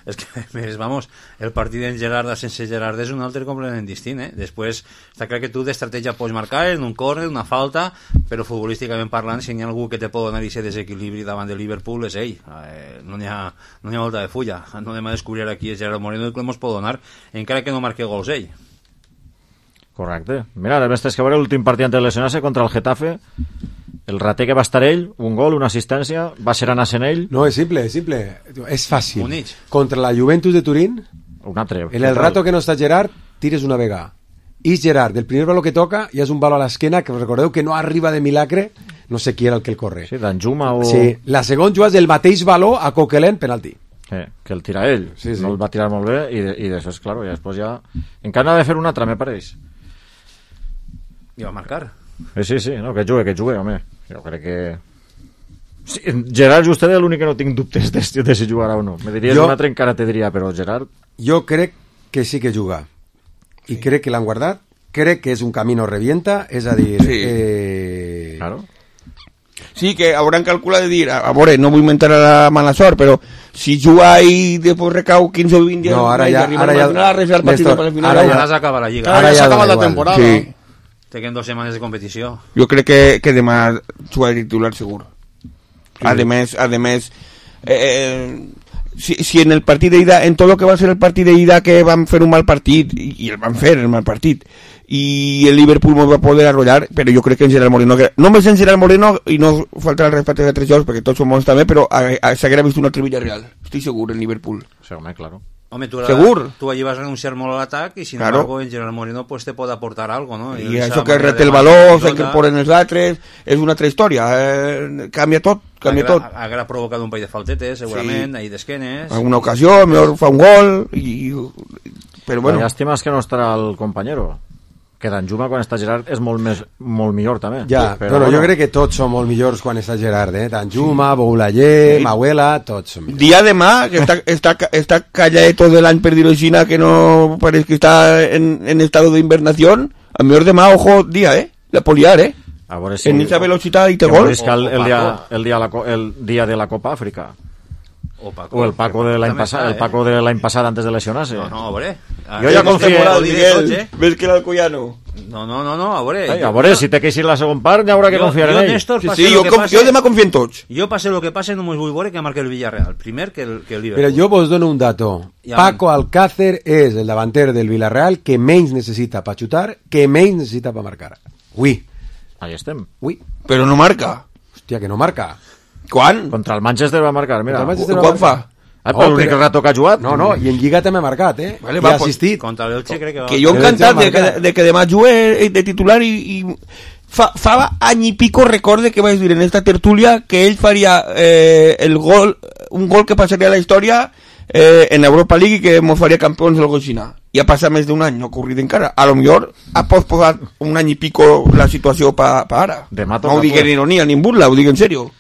És que, a més, vamos, el partit d'en Gerard sense Gerard és un altre completament distint, Després, està clar que tu d'estratègia pots marcar en un córner, una falta, però futbolísticament parlant, si hi ha algú que te pot donar aquest desequilibri davant de Liverpool és ell. No n'hi ha volta de fulla. No anem a descobrir aquí el Gerard Moreno que ens pot donar, encara que no marque gols ell. Correcte. Mira, a més tens que veure l'últim partit de lesionar-se contra el Getafe. El rater que va estar ell, un gol, una assistència, va ser anar-se'n ell. No, és simple, és simple. És fàcil. Units. Contra la Juventus de Turín, un altre. en el rato que no està Gerard, tires una vegada. I Gerard, el primer baló que toca, ja és un baló a l'esquena, que recordeu que no arriba de milagre, no sé qui era el que el corre. Sí, d'Anjuma o... Sí, la segona juga és el mateix baló a Coquelin, penalti. Que el tira ell. Sí. No el va tirar molt bé, i d'això, claro, i després ja... Encara ha de fer un altre, me pareix. I va marcar. Sí, no, que jugue, home. Jo crec que... Sí, Gerard Justet és l'únic que no tinc dubtes de si jugarà o no. Me diries un altre encara te diria, però Gerard... Jo crec que sí que juga. I crec que l'han guardat. Crec que és un camino revienta, és a dir... Sí. Claro. Sí, que hauran calculat de dir, a veure, no vull mentar a la mala sort, però si juga i després recau 15 o 20 dies... No, ara ja... Ara s'acaba la Lliga. Ara ja s'ha acabat la temporada. Sí. Tenim 2 setmanes de competició. Jo crec que demà jugarà titular segur. Sí. A més, si en el partit d'ida, en tot el que va ser el partit d'ida que van fer un mal partit, i el van fer el mal partit, i el Liverpool no va poder arrollar, però jo crec que en Gerard Moreno, només en Gerard Moreno, i no faltarà el respecte de 3 jocs, perquè tots som bons també, però s'haguera vist un altre Villarreal, estic segur, en Liverpool. Sí, home, claro. Home, segur. Tu allí vas renunciar molt a l'atac i sin claro. embargo en Gerard Moreno pues te pot aportar algo, no? I això que rete el valor, que ponen els altres, és una altra història, canvia tot. Haguera provocat un parell de faltetes, segurament, sí. Ahí d'esquenes. Alguna ocasió, millor fa un gol, però bueno. La llàstima és que no estarà el companyero. Que d'Anjuma quan està Gerard és molt millor també. Ja, però jo crec que tots són molt millors quan està Gerard, d'Anjuma, Boulayer, Mauela, tots són millors. Dia demà, que està calladito de l'any per dir-ho així, que no pareix que està en estado d'invernació, a millor demà, ojo, dia, la poliar, a veure si... En esa velocitat i té gol. El dia de la Copa Àfrica. O el Paco de l'any passat antes de lesionar-se. No, a veure. Jo ja confio Ves que l'Alcoyano. No, a veure. A veure, si té que eixir la segona part, ja haurà que confiar en ell. Sí, jo demà confio en tots. Jo passe lo que passe, no m'ho vull veure que marque el Villarreal. Primer que el Liverpool. Però jo vos dono un dato. Paco Alcácer és el davanter del Villarreal que menys necessita per xutar, que menys necessita per marcar. Ui. Ahí estem. Ui. Però no marca. Hòstia, que no marca. Quan? Contra el Manchester va marcar, mira. Quan fa? Però l'únic rato que ha jugat. No, i en Lliga també ha marcat, Vale, i ha assistit. Contra l'Elche crec que va... Que jo encantat de que demà jugue de titular i fa any i pico recorde que vaig dir en esta tertúlia que ell faria un gol que passaria a la història en Europa League i que mos faria campions del Goixina. I ha passat més d'un any, no ha ocorrit encara. A lo millor ha posposat un any i pico la situació pa ara. No ho dic en ironia ni en burla, ho dic en serio.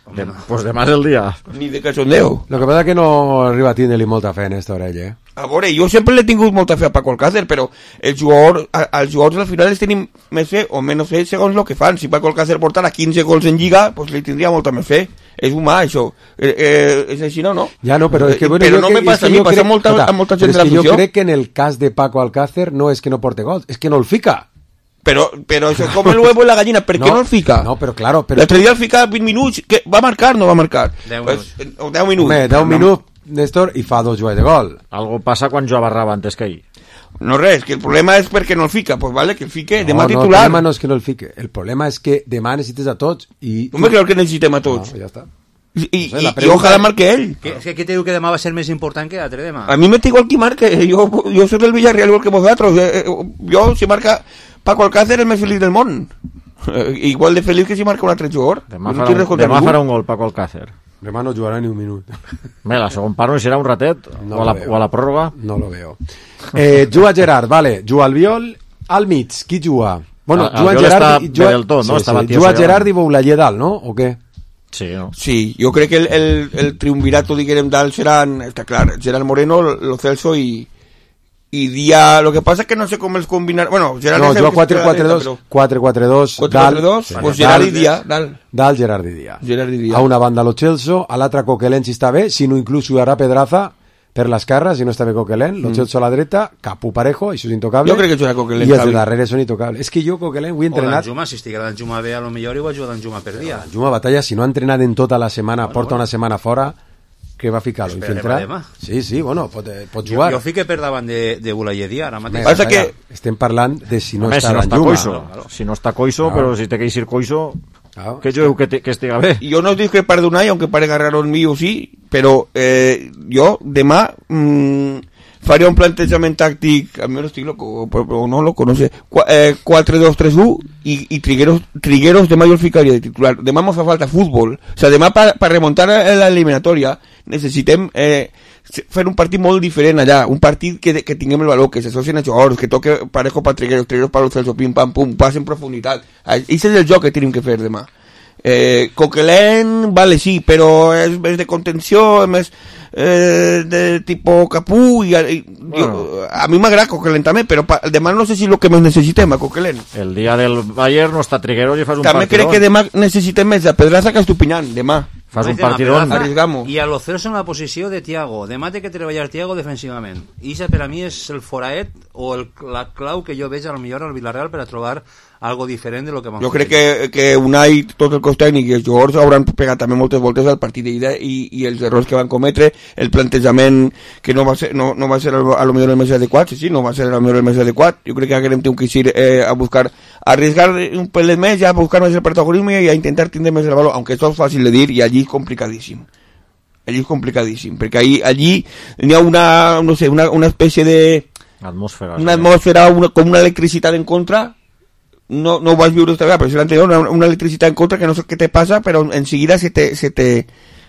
Pues demà és el dia. Ni de cachondeo. Lo que pasa que no arriba a tindre-li molta fe en esta orella, A veure, jo sempre l'he tingut molta fe a Paco Alcácer, però els jugadors al final els tenim més fe o menys fe segons el que fan. Si Paco Alcácer portara 15 gols en Lliga, pues li tindria molta més fe. És humà, això. És així, no? Ja no, però és que... Però no me passa a mi, passa a molta gent de l'afició. Jo crec que en el cas de Paco Alcácer no és que no porte gols, és que no el fica. Però això és com el huevo i la gallina, per què no el fica? No, però claro... L'altre dia el fica 20 minuts, que va marcar o no va marcar? 10 minuts. 10 minuts. Home, 10 minuts, Néstor, i fa 2 joves de gol. Algo passa quan jo barrava antes que ell. No res, que el problema és perquè no el fica, pues vale, que el fique, demà titular. No, el problema no és que no el fique, el problema és que demà necessites a tots i... Home, crec que necessitem a tots. Ja està. I ojalà marque ell. És que te diu que demà va ser més important que l'altre demà. A mi me igual qui marque, jo soy del Villarreal igual que vosaltres. Jo, si marca Paco Alcácer, el més feliç del món. Igual de feliç que si marca un altre jugador. Demà farà un gol Paco Alcácer. Demà no jugarà ni un minut. La segon part no serà un ratet o a la pròrroga. No lo veo. Juga Gerard, vale. Juga Albiol al mig. Qui juga? Bueno, juga Gerard, juga Gerard i Boulayer dalt, no? O què? Sí, no? Sí, jo crec que el triunvirato, diguem, dalt seran, està clar, Gerard Moreno, Lo Celso i i dia... Lo que passa és que no sé com els combinar... Bueno, Gerard... No, jo 4-4-2, 4-4-2, 4-4-2, pues Gerard i Dia, Dalt, Gerard i Dia. Gerard i Dia. A una banda lo Celso, a l'altra Coquelin si està bé, si no inclús jugarà Pedraza per l'esquerra, si no està bé Coquelin, lo Celso a la dreta, Capu Parejo, això és intocable. Jo crec que jugarà Coquelin. I els de darrere són intocables. És que jo Coquelin ho he entrenat... O Danjuma, si estigués Danjuma bé, a lo millor igual juga Danjuma per dia. Danjuma batalla, si no ha entrenat en tota la setmana, porta una setmana fora, que va ficar-lo, infiltrar. Sí, bueno, pot jugar. Jo fique per davant de Bulayedia, ara mateix. Passa que estem parlant de si no està Danjuma. Si no està Coiso, però si té que ir Coiso... Que yo que estiga bé. Yo no digo que para de Unai, aunque parezca raro el mío, sí, pero yo, demà, faria un plantejament tàctic, a mi no estic loco, o no loco, no sé, 4-2-3-1 y Trigueros demà jo el ficaria de titular. Demà ens fa falta futbol. O sea, demà per remontar a la eliminatòria necessitem fer un partit molt diferent allà, un partit que tinguem el valor, que s'associen a jugadors, que toque Parejo per Trigueros per los Celso, pim pam pum, pas en profunditat. Això és el joc que tenim que fer demà. Coquelin, vale, sí, però és més de contenció, és més de tipo Capú i a mi m'agrada Coquelin també, però demà no sé si el que més necessitem a Coquelin. El dia del Bayern no està Trigueros i fas un també partidón. Crec que demà necessitem més de Pedraza que Estupiñán, demà. Fas un partidón. Arriesgamos. I a lo Celso en la posició de Thiago. Demà té que treballar Thiago defensivament. I això per a mi és el foraet o la clau que jo veig a lo millor al Villarreal per a trobar algo diferent de lo que vam fer. Jo crec que Unai, tot el cos tècnic i els jugadors hauran pegat també moltes voltes al partit d'ida i els errors que van cometre, el plantejament que no va ser a lo millor el més adequat, sí, no va ser a lo millor el més adequat. Jo crec que haguem que ir a buscar, a arriesgar un pel més, ja a buscar més el protagonisme i a intentar tindre més el valor, aunque esto es fácil de dir i allí és complicadíssim. Allí és complicadíssim, perquè allí hi ha una espècie de... Una atmosfera, com una electricitat en contra. No ho vas viure esta vegada, però si l'anterior una electricitat en contra que no sé què te passa, però enseguida se te...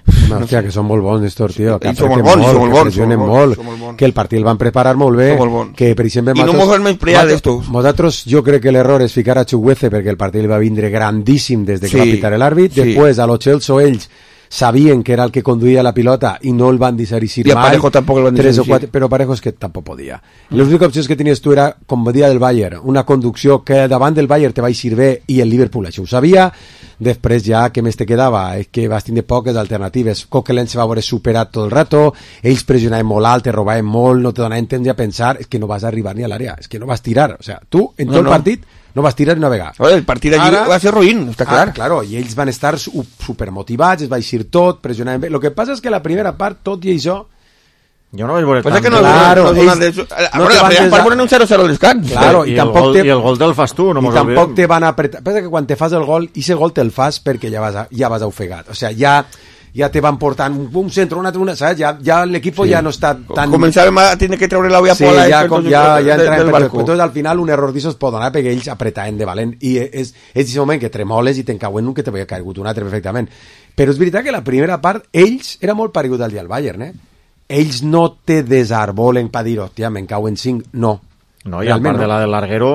Hòstia, que són molt bons estos, tio, que apreten molt, que pressionen molt, que el partit el van preparar molt bé, que per exemple... I no mos han menyspreat d'estos. Nosaltres, jo crec que l'error és ficar a Chukwueze perquè el partit va vindre grandíssim des de que va pitar l'àrbit, després a lo Celso ells sabien que era el que conduïa la pilota i no el van deixar eixir mai. I a Parejo tampoc el van deixar eixir. Però Parejo és que tampoc podia. L'única opció que tenies tu era, com dia del Bayern, una conducció que davant del Bayern te va eixir bé i el Liverpool això ho sabia. Després ja, què més te quedava? És que vas tindre poques alternatives. Coquelin se va veure superat tot el rato, ells pressionaven molt alt, te robaven molt, no te donaven temps a pensar, és que no vas arribar ni a l'àrea, és que no vas tirar. O sea, tu, en tot el partit, no vas tirar ni una vegada. El partit allí va ser ruïn, està clar. Claro, i ells van estar supermotivats, es va eixir tot, pressionaven bé. Lo que passa és que la primera part, tot i això, jo no vaig veure tant. Que no, claro, la primera part ponen un 0-0 al descans. Claro, i el gol te'l fas tu, no mos olvidem. I tampoc te van apretar. Pensa que quan te fas el gol, i ese gol te'l fas perquè ja vas ofegat. O sea, ja te van portant un centre, un altre, saps? Ja l'equip ja no està tan... Començàvem a tenir que treure la olla pola. Sí, ja entràvem per barco. Entonces, al final, un error d'això es pot donar perquè ells apretaven de valent. I és aquest moment que tremoles i te'n cauen un que te havia caigut un altre perfectament. Però és veritat que la primera part, ells, era molt paregut al dia del Bayern, ells no te desarbolen per dir, hòstia, me'n cauen 5, no. No, i al part de la del larguero,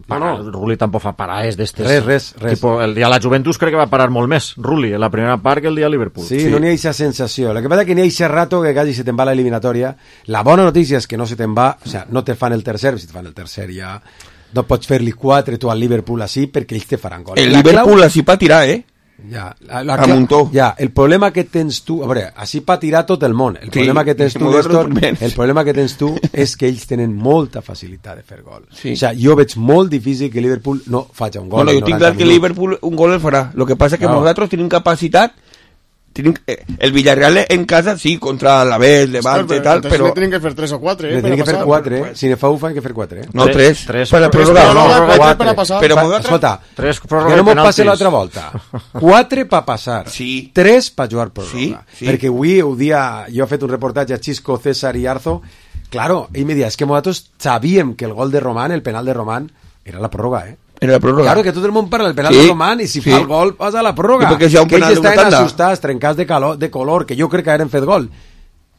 Rulli tampoc fa parades d'estes. Res. Tipo, el dia de la Juventus crec que va parar molt més, Rulli, en la primera part que el dia de Liverpool. Sí, no n'hi ha aquesta sensació. El que passa que n'hi ha aquest rato que quasi se te'n va l'eliminatòria. La bona notícia és que no se te'n va, o sea, no te fan el tercer, si te fan el tercer ja no pots fer-li 4 tu al Liverpool així perquè ells te faran gol. El Liverpool així pa tirar, Ja, el problema que tens tu, a veure, així pa tirar tot el món. El problema que tens tu, Néstor, el problema que tens tu és que ells tenen molta facilitat de fer gol. O sea, jo veig molt difícil que Liverpool no faci un gol. Bueno, jo tinc clar que Liverpool un gol el farà. Lo que passa que nosaltres tenim capacitat. El Villarreal en casa, sí, contra la B, el Levante y tal, pero... Le tienen que hacer 3 o 4, Le tienen que hacer 4, Si ne fa un, fan que fer 4, No, 3. Para prorrogar, no, 4 para passar. Però, escolta, que no m'ho passi l'altra volta. 4 per passar. Sí. 3 per jugar pròrroga. Sí. Perquè avui, jo he fet un reportatge a Xisco, César i Arzo. Claro, ell me deia, és que nosaltres sabíem que el gol de Román, el penal de Román, era la pròrroga, Era la pròrroga. Claro, que tot el món parla del penal de Román i si fa el gol passa a la pròrroga. Perquè si hi ha un que penal ells estaven assustats, trencats de color, que jo crec que eren fet gol.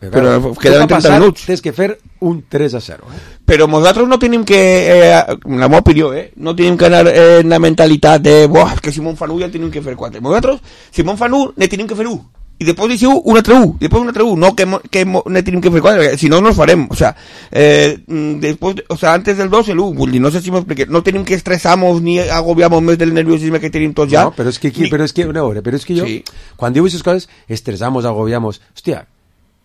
Però quedaven 30 minuts. Tens que fer un 3-0. Però nosaltres no tenim que, en la meva opinió, no tenim que anar en la mentalitat de, que si me'n fan 1 ja tenim que fer 4. Nosaltres, si me'n fan 1, ne tenim que fer 1. i després deixeu un altre 1, no que ne tenim que fer 4, si no nos farem, o sea, después, o sea, antes del 2 el 1, vull dir, no sé si m'expliqué, no tenim que estressar-nos ni agobiar-nos més del nerviosisme que tenim tots ja. No, però és que jo, quan diu aquestes coses, estressamos, agobiamos, hòstia,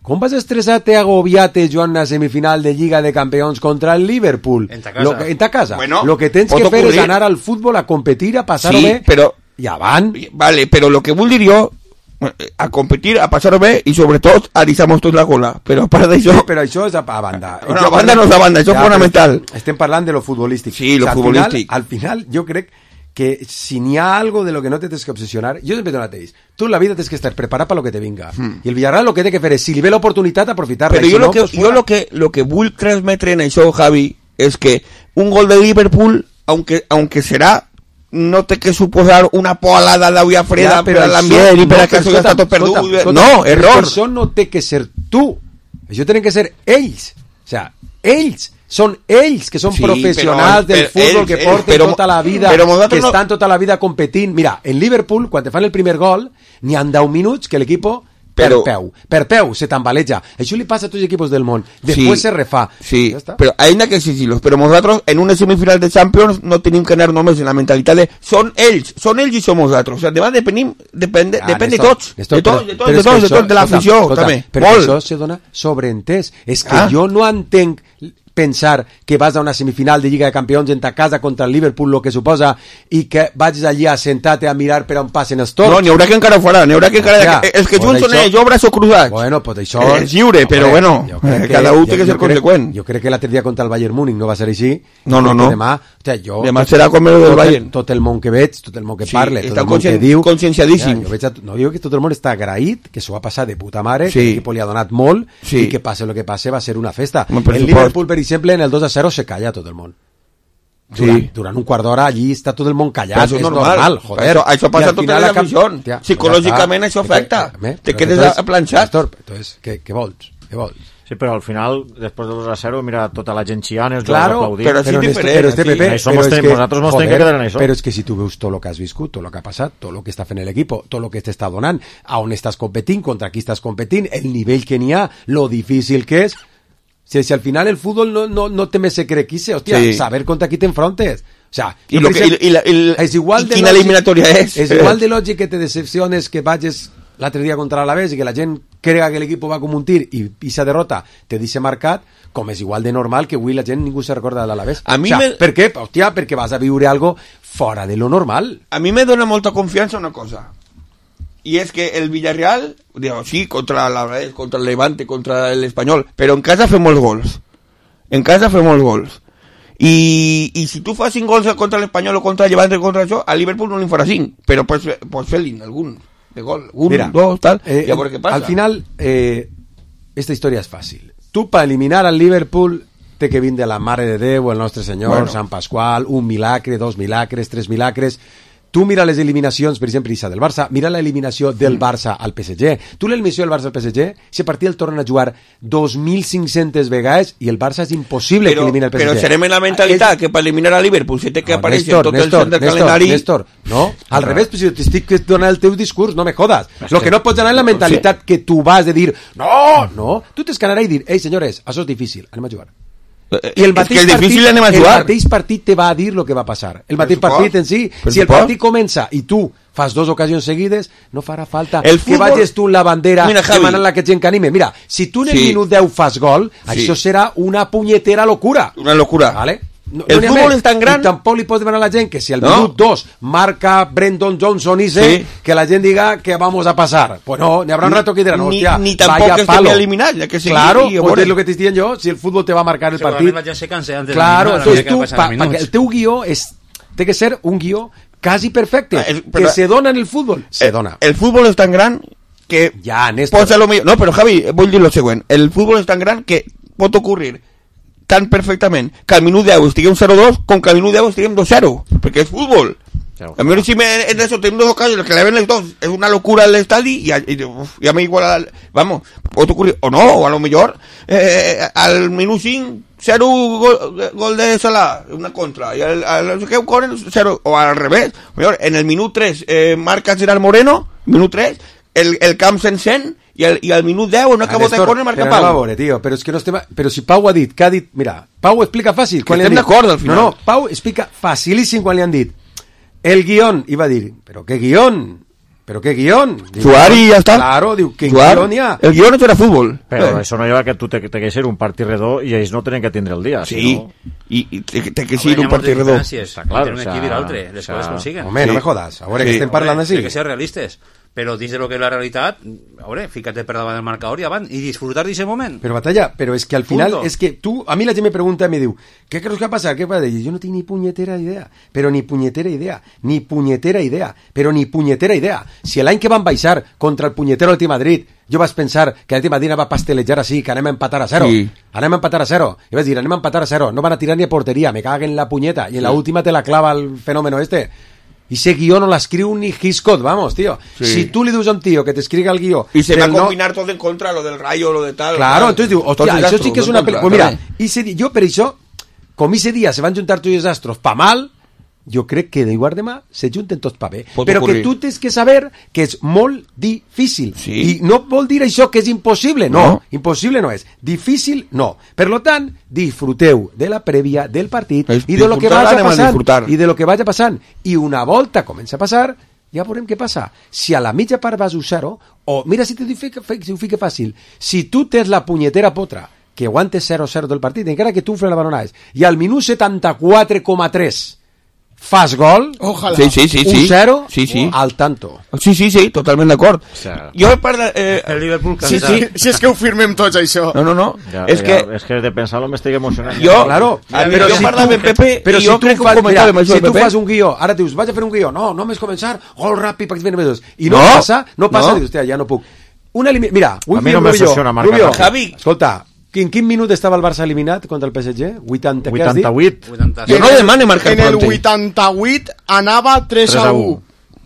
com vas estressar-te, agobiar-te, Joan, a semifinal de Lliga de Campeons contra el Liverpool? En ta casa. Bueno, lo que tens que fer és anar al futbol, a competir, a passar-ho bé, i avant. Vale, però lo que vull dir jo, a competir, a passar-ho bé, i sobretot a deixar-nos tot la cola. Però a part d'això... Sí, però això és a banda. No, a banda no és a banda, això és fonamental. Estem parlant de lo futbolístic. Sí, lo futbolístic. Al final, jo crec que si n'hi ha algo de lo que no te tens que obsesionar, jo sempre t'ho mateix, tu en la vida tens que estar preparat per lo que te vinga, i el Villarreal lo que té que fer és, si li ve l'oportunitat, aprofitar-la. Però lo que vull transmetre en això, Javi, és que un gol de Liverpool, aunque serà, no té que suposar una polada d'aigua freda per a l'ambient i per a que això ja està tot perdut. No, error. Això no té que ser tu, això tenen que ser ells, o sea, ells són ells que són professionals del futbol, que porten tota la vida, que estan tota la vida competint. Mira, en Liverpool, quan te fan el primer gol, n'hi han 10 minuts que l'equip per peu se tambaleja. Això li passa a tots els equipos del món. Després se refà. Sí, però hay que exigir-los. Però nosaltres, en una semifinal de Champions, no tenim que anar només en la mentalitat de són ells i som nosaltres. O sigui, depèn de tots. De tots, de l'afició, també. Perquè això se dona sobreentès. És que jo no entenc pensar que vas a una semifinal de Lliga de Campions en ta casa contra el Liverpool, lo que suposa, i que vagis allí a sentar-te a mirar per on passen els torns. No, n'hi haurà que encara ho farà, els que junts són ells, obres o cruzats. Bueno, pues això... És lliure, però bueno, cada un té que ser conseqüent. Jo crec que l'altre dia contra el Bayern Múnich no va ser així. No. Demà serà com el del Bayern. Tot el món que veig, tot el món que parla, tot el món que diu... conscienciadíssim. No diu que tot el món està agraït, que s'ho va passar de puta mare, que l'equip li ha donat molt, i que passe el que passe va ser una festa. El Liverpool, per exemple, en el 2-0 se calla tot el món. Durant un quart d'hora allí està tot el món callat. Això és normal, joder. Això passa a totes les aficions. Psicològicament això afecta. Te quedes aplanxat. Entonces, què vols? Sí, però al final, després del 2-0, mira tota la gent xiant, els claro, aplaudint. Però és diferent. Nosaltres mos tenim que quedar en això. Però és que si tu veus tot el que has viscut, tot el que ha passat, tot el que està fent l'equip, tot el que t'està donant, a on estàs competint, contra qui estàs competint, el nivell que n'hi ha, lo difícil que és. Si al final el fútbol no té més secret que ese, hòstia, saber contra qui t'enfrontes. O sea, és igual de quina eliminatòria és. És igual de lògic que te decepciones que vagis l'altre dia contra l'Alavés i que la gent crega que l'equip va com un tir i esa derrota te deixa marcat, com és igual de normal que avui la gent ningú se recorda de l'Alavés. Per què? Hòstia, perquè vas a viure algo fora de lo normal. A mi me dona molta confiança una cosa. Y es que el Villarreal, digo, sí, contra el Levante, contra el Espanyol, pero en casa fem molts gols. Y si tu fas 5 gols contra el Espanyol o contra el Levante o contra això, a Liverpool no li farà 5, però pues fer-li algun de gol, dos, tal, y a veure què passa. Al final, esta història és fàcil. Tu, per eliminar al Liverpool, té que vindre la Mare de Déu, el Nostre Senyor, Sant Pasqual, un milagre, 2 milagres, 3 milagres. Tu mira les eliminacions, per exemple, del Barça, mira l'eliminació del Barça al PSG. Tu l'eliminació del Barça al PSG, si partit el tornen a jugar 2.500 vegades i el Barça és impossible que elimini el PSG. Però serem en la mentalitat que per eliminar a Liverpool se té que aparèixer tot el cent del calendari... Néstor, no, al revés, si t'estic donant el teu discurs, no me jodas. Lo que no pots anar en la mentalitat que tu vas de dir, no, tu tens que anar i dir, ei, senyores, això és difícil, anem a jugar. I el mateix partit te va a dir el que va passar. El mateix partit en si, si el partit comença i tu fas 2 ocasions seguides, no farà falta que vagis tu en la bandera demanant la que gent que anime. Mira, si tu en el minut 10 fas gol, això serà una punyetera locura. Una locura. ¿Vale? El fútbol és tan gran... I tampoc li pots demanar a la gent que si al minut 2 marca Brendan Johnson que la gent diga que vamos a pasar. Pues no, n'hi haurà un rato que diran, hòstia, ni tampoc que estem eliminats, ja que sigui. Claro, pues és lo que t'estic dient jo, si el fútbol te va a marcar el partit. La gent se cansa antes claro, entonces tu, el teu guió té que ser un guió quasi perfecte, que se dona en el fútbol. Se dona. El fútbol és tan gran que... Ja, Néstor. No, però Javi, vull dir lo següent. El fútbol és tan gran que pot ocurrir tan perfectament que al minut 10 estiguem 0-2 com que al minut 10 estiguem 2-0, perquè és futbol. A mi si en eso tenim 2 ocasions que le ven els dos, és una locura el estadi i a mi igual, vamos, pot ocurrir, o no, o a lo millor al minut 5 0 gol de Salah, una contra, i al no sé què, un corner 0, o al revés, en el minut 3 marca Gerard Moreno, minut 3 el camp s'encén i al minut 10 no acabó de córner marca Pau. A veure, tio, però és que no estem... Però si Pau ha dit, mira, Pau explica fàcil. Que estem d'acord al final. No, Pau explica facilíssim quan li han dit el guión, i va dir, però què guión? ¿Pero qué guión? Jugar y ya está. Claro, digo, ¿qué guión ya? El guión no era fútbol. Pero eso no lleva que tú te que ser un partit redó y ells no tenen que tindre el dia. Sí, sino... i té que ser un partit redó. Claro, un equip i l'altre, les coses consiguen. Home, no me jodas, ahora que estem parlant així. Hay que ser realistes. Però dins de lo que és la realitat, a veure, fíjate per davant del marcador i avant, i disfrutar d'aquest moment. Però Batalla, però és que al final, és que tu, a mi la gent me pregunta i me diu, què creus que va passar? Què va dir? Jo no tinc ni punyetera idea, però ni punyetera idea, però ni punyetera idea. Si l'any que van baixar contra el punyetero Atleti Madrid, jo vaig pensar que l'Atleti Madrid va pastelejar així, que anem a empatar a 0. Sí. Anem a empatar a 0. I vaig dir, anem a empatar a 0. No van a tirar ni a porteria, me caguen la punyeta. I en la última te la clava el fenómeno este. Y ese guió no l'escriu ni Hitchcock, vamos, tío. Sí. Si tú le dius a un tío que te escriga el guió... Y se va a combinar todo en contra, lo del Rayo, lo de tal... Claro, tal. Entonces digo, hostia, això sí que és una... Pues mira, jo per això, com ese dia se van juntar tots els astros pa mal, jo crec que d'igual demà se junten tots pa bé. Però que tu tens que saber que és molt difícil. Sí. I no vol dir això que és impossible. No, impossible no és. Difícil, no. Per lo tant, disfruteu de la prèvia del partit i de lo que vagi passant. I de lo que vagi passant. I una volta comença a passar, ja veurem què passa. Si a la mitja part vas 0, o mira si ho fica fàcil, si tu tens la punyetera potra que aguantes 0-0 del partit, encara que tu la balonades, i al minut 74,3 fas gol, ojalá. Sí. 1-0 sí. al tanto. Sí, totalment d'acord. O sea, jo parla... el Liverpool sí, si és que ho firmem tots, això. No. És que de pensar-lo m'estic emocionant. Jo, claro. Però jo parla amb Pepe però i jo crec que ho comentava amb si tu fas un guió, ara dius, vaig a fer un guió, no més començar, gol ràpid, perquè es ven i no passa, dius, hòstia, ja no puc. Mira, a mi no me funciona marcar. Javi, escolta, en quin minut estava el Barça eliminat contra el PSG? 88. Jo no demane marcar en el 88 anava 3-1.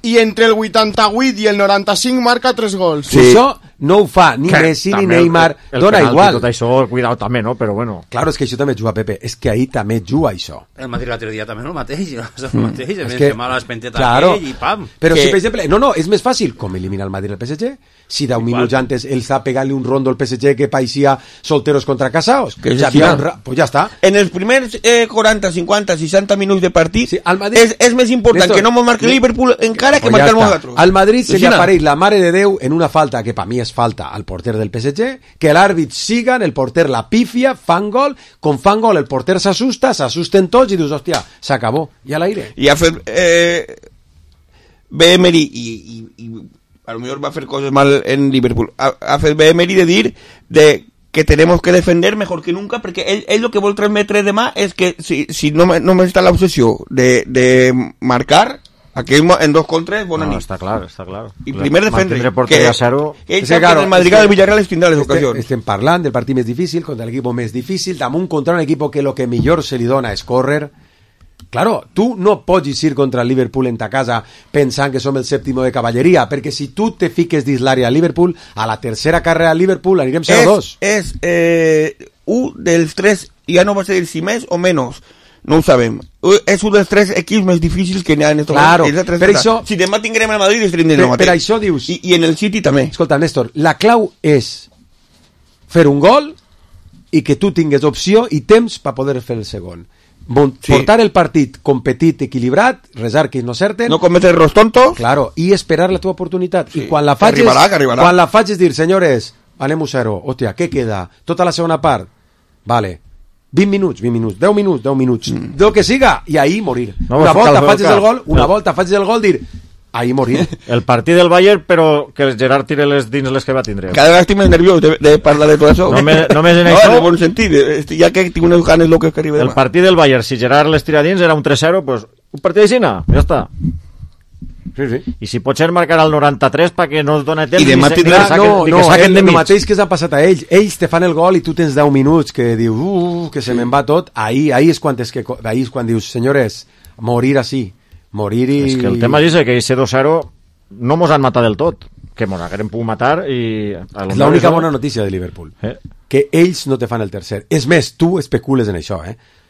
I entre el 88 i el 95 marca 3 gols. Sí. Això no ho fa ni Messi ni Neymar. Dona igual. Tot això, cuidado també, no? Però bueno. Claro, és que això també juga, Pepe. És que ahí també juga això. El Madrid l'altre dia també el mateix. És que mal l'espenteta aquell i pam. Però si, per exemple, no, és més fàcil com eliminar el Madrid al PSG. Si 10 minuts antes él está pegant-li un rondo al PSG que parecía solteros contra casados. Pues ya está. En els primers 40, 50, 60 minuts de partit és més important que no mos marque Liverpool encara que marcar nosaltres. Al Madrid se li apareix la mare de Déu en una falta que per mi és falta al porter del PSG, que l'àrbit sigan, el porter la pifia, fan gol, com fan gol el porter s'assusten tots i dius, hòstia, s'acabó, i a l'aire. I ha fet Emery i a lo mejor va a hacer cosas mal en Liverpool. Hace Emery de dir de que tenemos que defender mejor que nunca, porque él lo que vol transmetre demà és que si no me está la obsessió de marcar aquell en 2 contra és bona nit. Està clar. I primer defendre. Que ell sap que el Madrid del Villarreal es tindrà les ocasions. Estem parlant del partit més difícil contra l'equip més difícil, damunt contra un equip que lo que millor se li dona és córrer. Claro, tu no pots ir contra el Liverpool en ta casa pensant que som el sèptimo de cavalleria, perquè si tu te fiques dins l'àrea a Liverpool, a la tercera carrera a Liverpool anirem 0-2. És un dels 3, ja no va ser si més o menys, no ho sabem. És un dels 3 equips més difícils que n'hi ha en estos moments. Claro, per això... Si demà tinguem el Madrid, estarem del mateix. Per això dius... I en el City també. Escolta, Néstor, la clau és fer un gol i que tu tingues opció i temps per poder fer el segon. Portar el partit competit, equilibrat, resar que no certen, no cometer errors tontos, claro, i esperar la teva oportunitat. I quan la faig quan la faig és dir, senyores, anem 0, hòstia, què queda? Tota la segona part, vale, 20 minuts, 10 minuts, del que siga, i ahí morir. Una volta faig el gol, dir, ahí morir. El partit del Bayern, però que el Gerard tire les dins les que va tindre. Cada vegada estic més nerviós de parlar de tot això. Només en això... No, en bon sentit, ja que tinc unes ganes loques que arriba demà. El partit del Bayern, si Gerard les tira dins, era un 3-0, pues un partit d'aixina, ja està. Sí. I si pot ser marcar al 93 perquè no es dona temps i demà tindrà... No, el mateix que s'ha passat a ells. Ells te fan el gol i tu tens 10 minuts que dius, que se me'n va tot. Ahí és quan dius, senyores, morir així. Morir i... És que el tema és que ese 2-0 no mos han matat del tot, que mos haguem pogut matar i... És l'única bona notícia de Liverpool, que ells no te fan el tercer. És més, tu especules en això,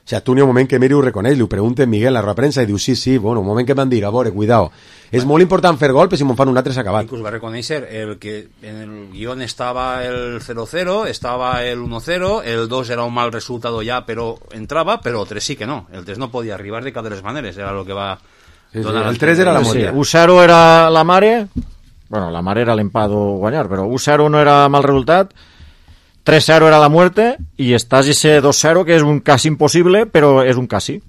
O sigui, tu n'hi ha un moment que Miri ho reconeix, li ho pregunta Miguel a la roda de premsa i diu sí, bueno, un moment que m'han dit, a veure, cuidao. És molt important fer gol, però si me'n fan un altre s'ha acabat. Inclús va reconèixer el que en el guión estava el 0-0, estava el 1-0, el 2 era un mal resultado ja, però entrava, però el 3 sí que no. El 3 no podia arribar de cap de les maneres, era el que va... Sí, el 3 era la moria. 1-0 era la mare, bueno, la mare era l'empat o guanyar, però 1-0 no era mal resultat, 3-0 era la muerte y estás ese 2-0 que es un casi imposible, pero es un casi.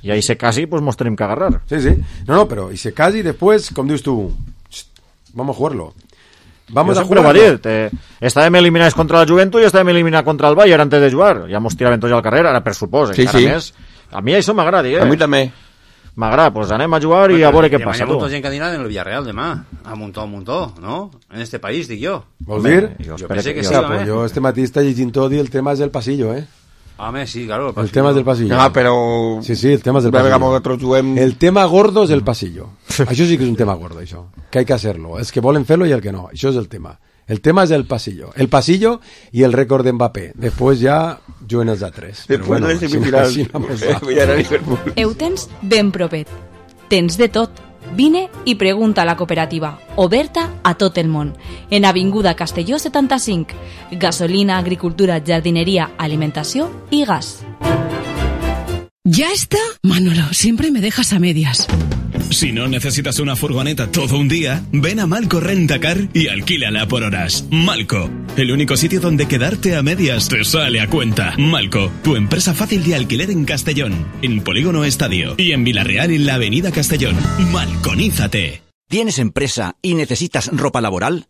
Y a ese casi pues nos tenemos que agarrar. Sí. No, pero ese casi después, como dices tú, vamos a jugarlo. Vamos a jugarlo. Estàvem eliminats contra la Juventus i estàvem eliminats contra el Bayern antes de jugar. Ja mos tiraven tots al carrer, ara per supòs. Sí. Més. A mi això m'agrada, A mi també. M'agrada, pues anem a jugar i a veure què passa. Hi ha molta gent que anirà en el Villarreal demà, a muntó, ¿no? En este país, dic jo. Vols dir? Jo pensé que sí, pues jo este matí està llegint tot i el tema és el pasillo, Home, sí, claro, el pasillo. El tema és del pasillo. No, però... Sí, el tema és del pasillo. El tema gordo és el pasillo. Això sí que és un tema gordo, això. Que hay que hacerlo. Els que volen fer-lo i el que no. Això és el tema. El tema és el pasillo. El pasillo i el rècord d'Mbappé. Després ja juguen els altres. Després de les semifinals. Ho tens ben propet. Tens de tot. Vine i pregunta a la cooperativa, oberta a tot el món, en Avinguda Castelló 75, gasolina, agricultura, jardinería, alimentació i gas. ¿Ya está? Manolo, siempre me dejas a medias. Si no necesitas una furgoneta todo un día, ven a Malco Rentacar y alquílala por horas. Malco, el único sitio donde quedarte a medias te sale a cuenta. Malco, tu empresa fácil de alquiler en Castellón, en Polígono Estadio y en Vilarreal en la Avenida Castellón. Malconízate. ¿Tienes empresa y necesitas ropa laboral?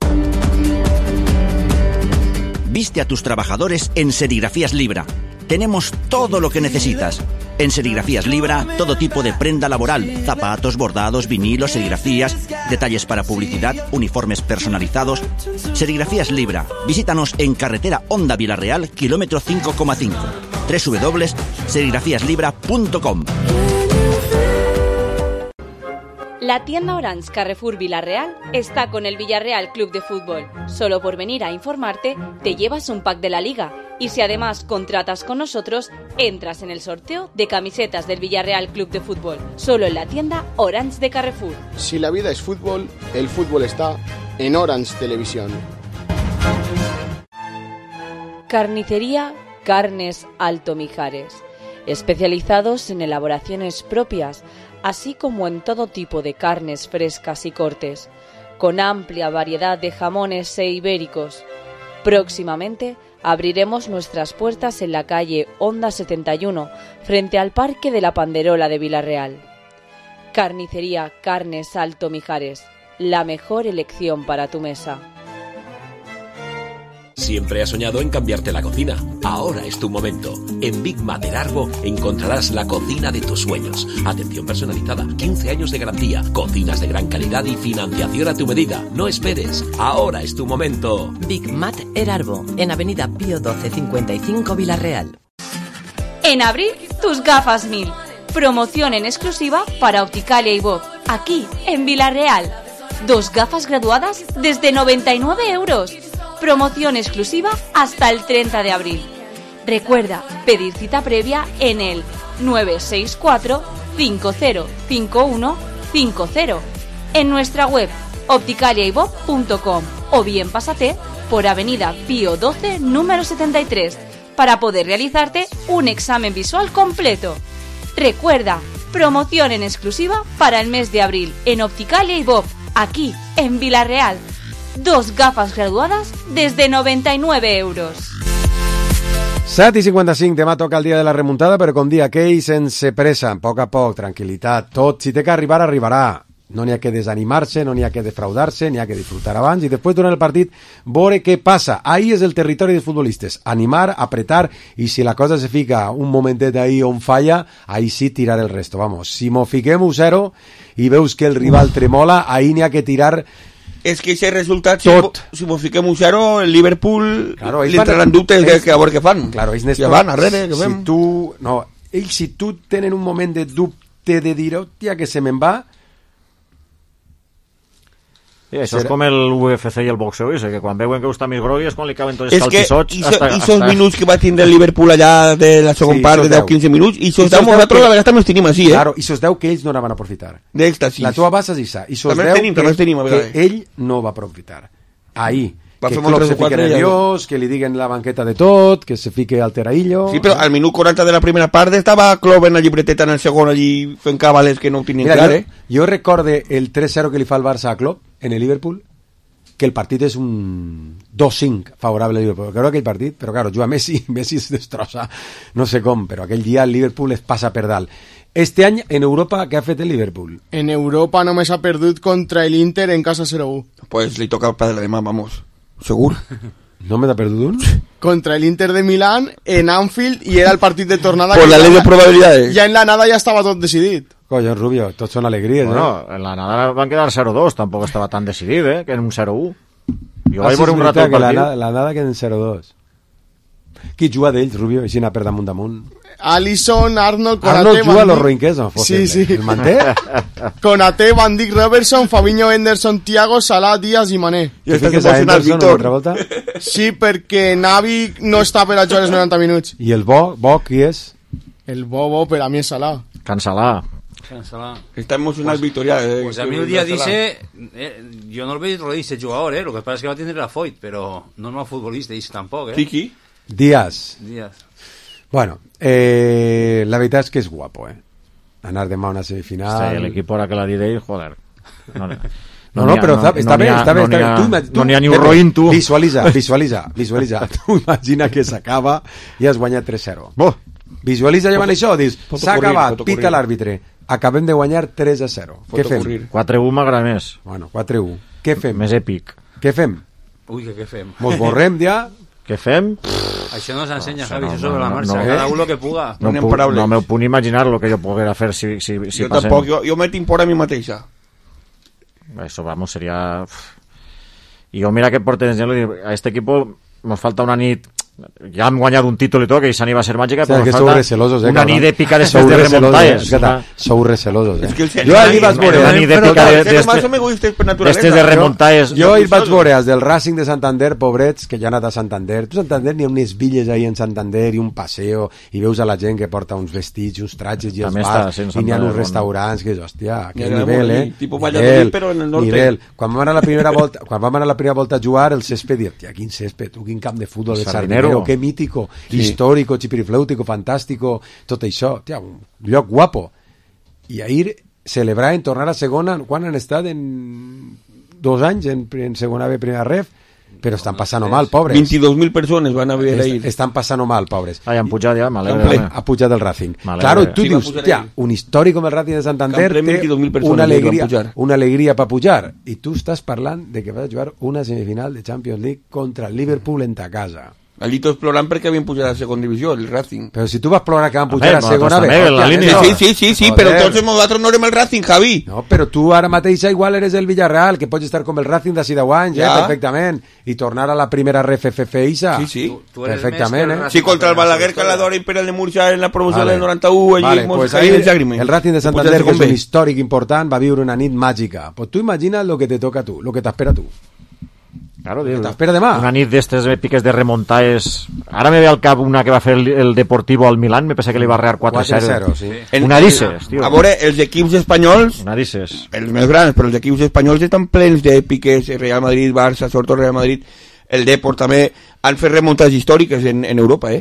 Viste a tus trabajadores en Serigrafías Libra. Tenemos todo lo que necesitas. En Serigrafías Libra, todo tipo de prenda laboral, zapatos, bordados, vinilos, serigrafías, detalles para publicidad, uniformes personalizados. Serigrafías Libra. Visítanos en carretera Honda Vilarreal, kilómetro 5,5. www.serigrafiaslibra.com. La tienda Orange Carrefour Villarreal está con el Villarreal Club de Fútbol. Solo por venir a informarte, te llevas un pack de la Liga. Y si además contratas con nosotros, entras en el sorteo de camisetas del Villarreal Club de Fútbol. Solo en la tienda Orange de Carrefour. Si la vida es fútbol, el fútbol está en Orange Televisión. Carnicería Carnes Alto Mijares. Especializados en elaboraciones propias, así como en todo tipo de carnes frescas y cortes, con amplia variedad de jamones e ibéricos. Próximamente abriremos nuestras puertas en la calle Honda 71, frente al Parque de la Panderola de Vilarreal. Carnicería Carnes Alto Mijares, la mejor elección para tu mesa. Siempre has soñado en cambiarte la cocina. Ahora es tu momento. En Big Mater Arbo encontrarás la cocina de tus sueños. Atención personalizada, 15 años de garantía, cocinas de gran calidad y financiación a tu medida. No esperes. Ahora es tu momento. Big Mater Arbo, en Avenida Pío 12 55 Vilarreal. En abril, tus gafas 1000. Promoción en exclusiva para Opticalia y Bob, aquí en Vilarreal. 2 gafas graduadas desde 99 €. Promoción exclusiva hasta el 30 de abril. Recuerda pedir cita previa en el 964 505150 en nuestra web opticaliaybob.com o bien pásate por Avenida Pío 12 número 73 para poder realizarte un examen visual completo. Recuerda, promoción en exclusiva para el mes de abril en Opticalia y Bob, aquí en Vilarreal. 2 gafas graduadas desde 99 €. 7:55, demà toca el dia de la remuntada, però com dia aquell, sense pressa, a poc, tranquil·litat, tot, si té que arribar, arribarà. No n'hi ha que desanimar-se, no n'hi ha que defraudar-se, n'hi ha que disfrutar abans i després durant el partit veure què passa. Ahí és el territori dels futbolistes, animar, apretar i si la cosa se fica un momentet ahí on falla, ahí sí tirar el resto. Vamos, si mo fiquem 1-0 i veus que el rival tremola, ahí n'hi ha que tirar. És que aquest resultat, si mos fiquem 1-0, el Liverpool claro, li entraran dubtes que a veure què fan. Claro, ells ja van arrere, què fem? Ells, si tu tenen un moment de dubte de dir, hòstia, que se me'n va, Sí, això és com el UFC i el boxeo, que quan veuen que està més grogui és quan li caben tots els calçots. I esos minuts que va tindre el Liverpool allà de la segon part, de 10-15 minuts, i esos 10 nosaltres la vegada també els tenim així, Claro, i esos 10 que ells no anaven a aprofitar. D'èxtasis. La tua base és això. I esos 10 que ell no va aprofitar. Ahí. Que Klopp se fique nerviós, que li diguen la banqueta de tot, que se fique al teraillo... Sí, però al minut 40 de la primera part estava Klopp en la llibreteta en el segon allí fent cabales que no ho tenien clar, Jo recorde el 3-0 que li fa el Barça a Klopp en el Liverpool, que el partit és un 2-5 favorable al Liverpool. Creo que aquell partit, però claro, juga Messi es destrossa, no sé com, però aquell dia el Liverpool es passa per dalt. Este any, en Europa, què ha fet el Liverpool? En Europa només ha perdut contra el Inter en casa 0-1. Pues li toca para la demà, vamos. Segur. No me ha perdut un? Contra el Inter de Milán, en Anfield, i era el partit de tornada. Por la ley de probabilidades. Ja en la nada ja estava tot decidit. Coño, Rubio, tots són alegries, bueno, en la nada van quedar 0-2, tampoc estava tan decidit, que en un 0-1. Jo vaig veure un rato el partit. La nada queda en 0-2. Qui juga d'ells, Rubio? Així anar per damunt. Alisson, Arnold, Konaté... Arnold juga a los Roinqués, no? Sí. El manté? Konaté, Van Dijk, Robertson, Fabinho, Henderson, Thiago, Salah, Díaz i Mané. I fiques a Henderson una altra volta? Sí, perquè Navi no està per a jugar els 90 minuts. I el bo qui és? El bo per a mi és Salah. Cansalà. Está emocional Victoria. Pues a mí un día dice, yo no lo veo ese jugador, lo que pasa es que va a tener la Foyt, pero no es futbolista, dice tampoco, Kiki. Díaz. Bueno, la veritat és que és guapo, anar demà a una semifinal. Sí, l'equip ara que la diré, joder. No, però està bé. No n'hi ha ni un roïn, tu. Visualitza. Tu imagina que s'acaba i has guanyat 3-0. Visualitza llevant això, dius, s'ha acabat, pita l'àrbitre, acabem de guanyar 3-0. Què fem? 4-1 m'agrada més. Bueno, 4-1. Què fem? Més èpic. Què fem? Ui, què fem? Mos borrem ja? Què fem? Això no s'ensenya, Javi, això sobre la marxa, cada uno que puga. No me puc imaginar lo que jo poguera fer si jo tampoc, jo me tinc por a mi mateixa. Eso, vamos, sería... I jo mira que porten a este equipo nos falta una nit, ja hem guanyat un títol i tot, que esa nit va ser màgica, però nos falta una nit èpica de remuntaes. Sou recelosos, Jo ahir vaig veure una nit èpica d'estes de remuntaes. Jo ahir vaig veure els del Racing de Santander, pobrets, que ja han anat a Santander. Tu Santander n'hi ha unes villes ahí en Santander i un paseo, i veus a la gent que porta uns vestits, uns tratges i els bars, i n'hi ha uns restaurants que és, hòstia, que nivell, tipo Valladolid, però en el norte. Quan vam anar la primera volta a jugar, el césped, hòstia, quin césped, quin camp de futbol de Sardinero, que mítico, histórico, chipiriflèutico, fantástico, tot això, tia, un lloc guapo. I ahir celebrar en tornar a segona, quan han estat? En 2 anys en segona B, primera ref, però estan passant mal, pobres. 22.000 persones van a veure ahir. Estan passant mal, pobres. Han pujat ja, m'alegre. Ha pujat el Racing. Claro, tu dius, tia, un històric com el Racing de Santander té una alegria per pujar. I tu estàs parlant de que vas a jugar una semifinal de Champions League contra el Liverpool en ta casa. Allí tots plorant perquè havien pujat a segona divisió, el Racing. Però si tu vas plorar que van pujar a segona B. Sí, però tots nosaltres no érem el Racing, Javi. No, però tu ara mateix igual eres el Villarreal, que pots estar com el Racing d'ací 10 anys, perfectament, i tornar a la primera RFFF Isa. Sí. Perfectament, Sí, contra el Balaguer, Caladora i Imperial de Murcia en la promoció del 91, allí pues ahí el Racing de Santander, que és un històric important, va viure una nit màgica. Pues tu imagina lo que te toca a tu, lo que t'espera a tu. Claro, t'espera demà. Una nit d'estes èpiques de remuntaes. Ara me ve al cap una que va fer el Deportivo al Milán, me pensa que li va rear 4-0. Sí. Una disses, tio. A veure, els equips espanyols, els més grans, però els equips espanyols estan plens d'èpiques, Real Madrid, Barça, sobretot Real Madrid, el Depor també, han fet remuntades històriques en Europa,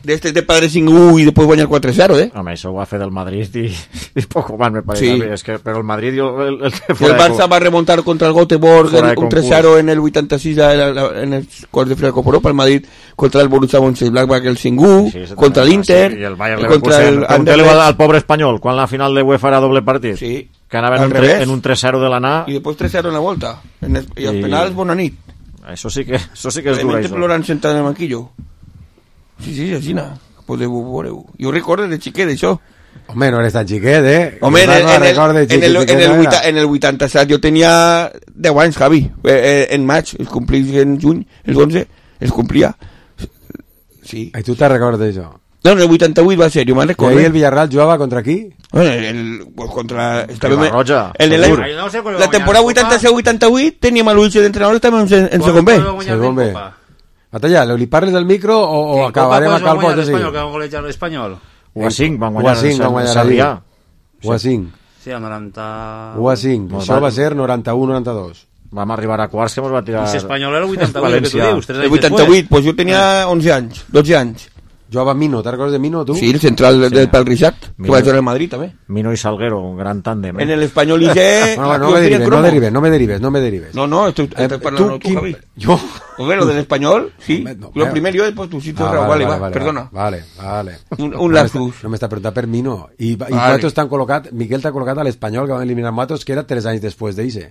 D'estes de Padre 5-1 i després guanyar 4-0, Home, això ho va fer del Madrid i poco más, me parece. Sí. Es que, però el Madrid... El Barça va remuntar contra el Göteborg un 3-0 en el 86 en els quarts de final de Copa Europa, el Madrid contra el Borussia Mönchengladbach el 5-1, contra l'Inter, i el Bayern Leverkusen. Pregunteu-li al pobre espanyol, quan la final de UEFA era doble partit. Sí. Que anaven en un 3-0 de l'anar. I després 3-0 en la volta. I els penals, bona nit. Això sí que és dur, això. Plorant sentat en el banquillo. Sí, aixina. Jo recordo de xiquet, això. Home, no eres tan xiquet, Home, en el 87 jo tenia 10 anys, Javi. En maig, els complís en juny, el 11, els complia. Sí. I tu te'n recordes d'això? No, en el 88 va ser, jo me'n I recordo. ahir el Villarreal jugava contra qui? Pues contra... Ribarroja. La temporada 86-88 teníem a l'Ulls d'entrenador, estàvem en segon B. Segon B. Batalla, li parles del micro o acabarem a calbot de l'Espanyol, que van golejar l'Espanyol. 1-5 van guanyar el Sarrià. 1-5. Sí, el 90... 1-5. Això va ser 91-92. Vam arribar a quarts que ens va tirar... I l'Espanyol era el 88, el que tu dius, 3 anys El 88, pues jo tenia 11 anys, 12 anys. Jugava Mino, te'n recordes de Mino, tu? Sí, el central del Pal Rixat, que va jugar al Madrid, també. Mino i Salguero, un gran tándem. En el Espanyol IG... No me derives. No, estoy parlando tú, Javi. ¿Yo? Lo del Español, sí. Lo primero yo, después tú, sí, tú, vale, perdona. Vale. Un lapsus. No m'està preguntant per Mino. I Matos t'han col·locat, Miquel t'ha col·locat a l'Espanyol, que van eliminar Matos, que era 3 anys després d'Ixe.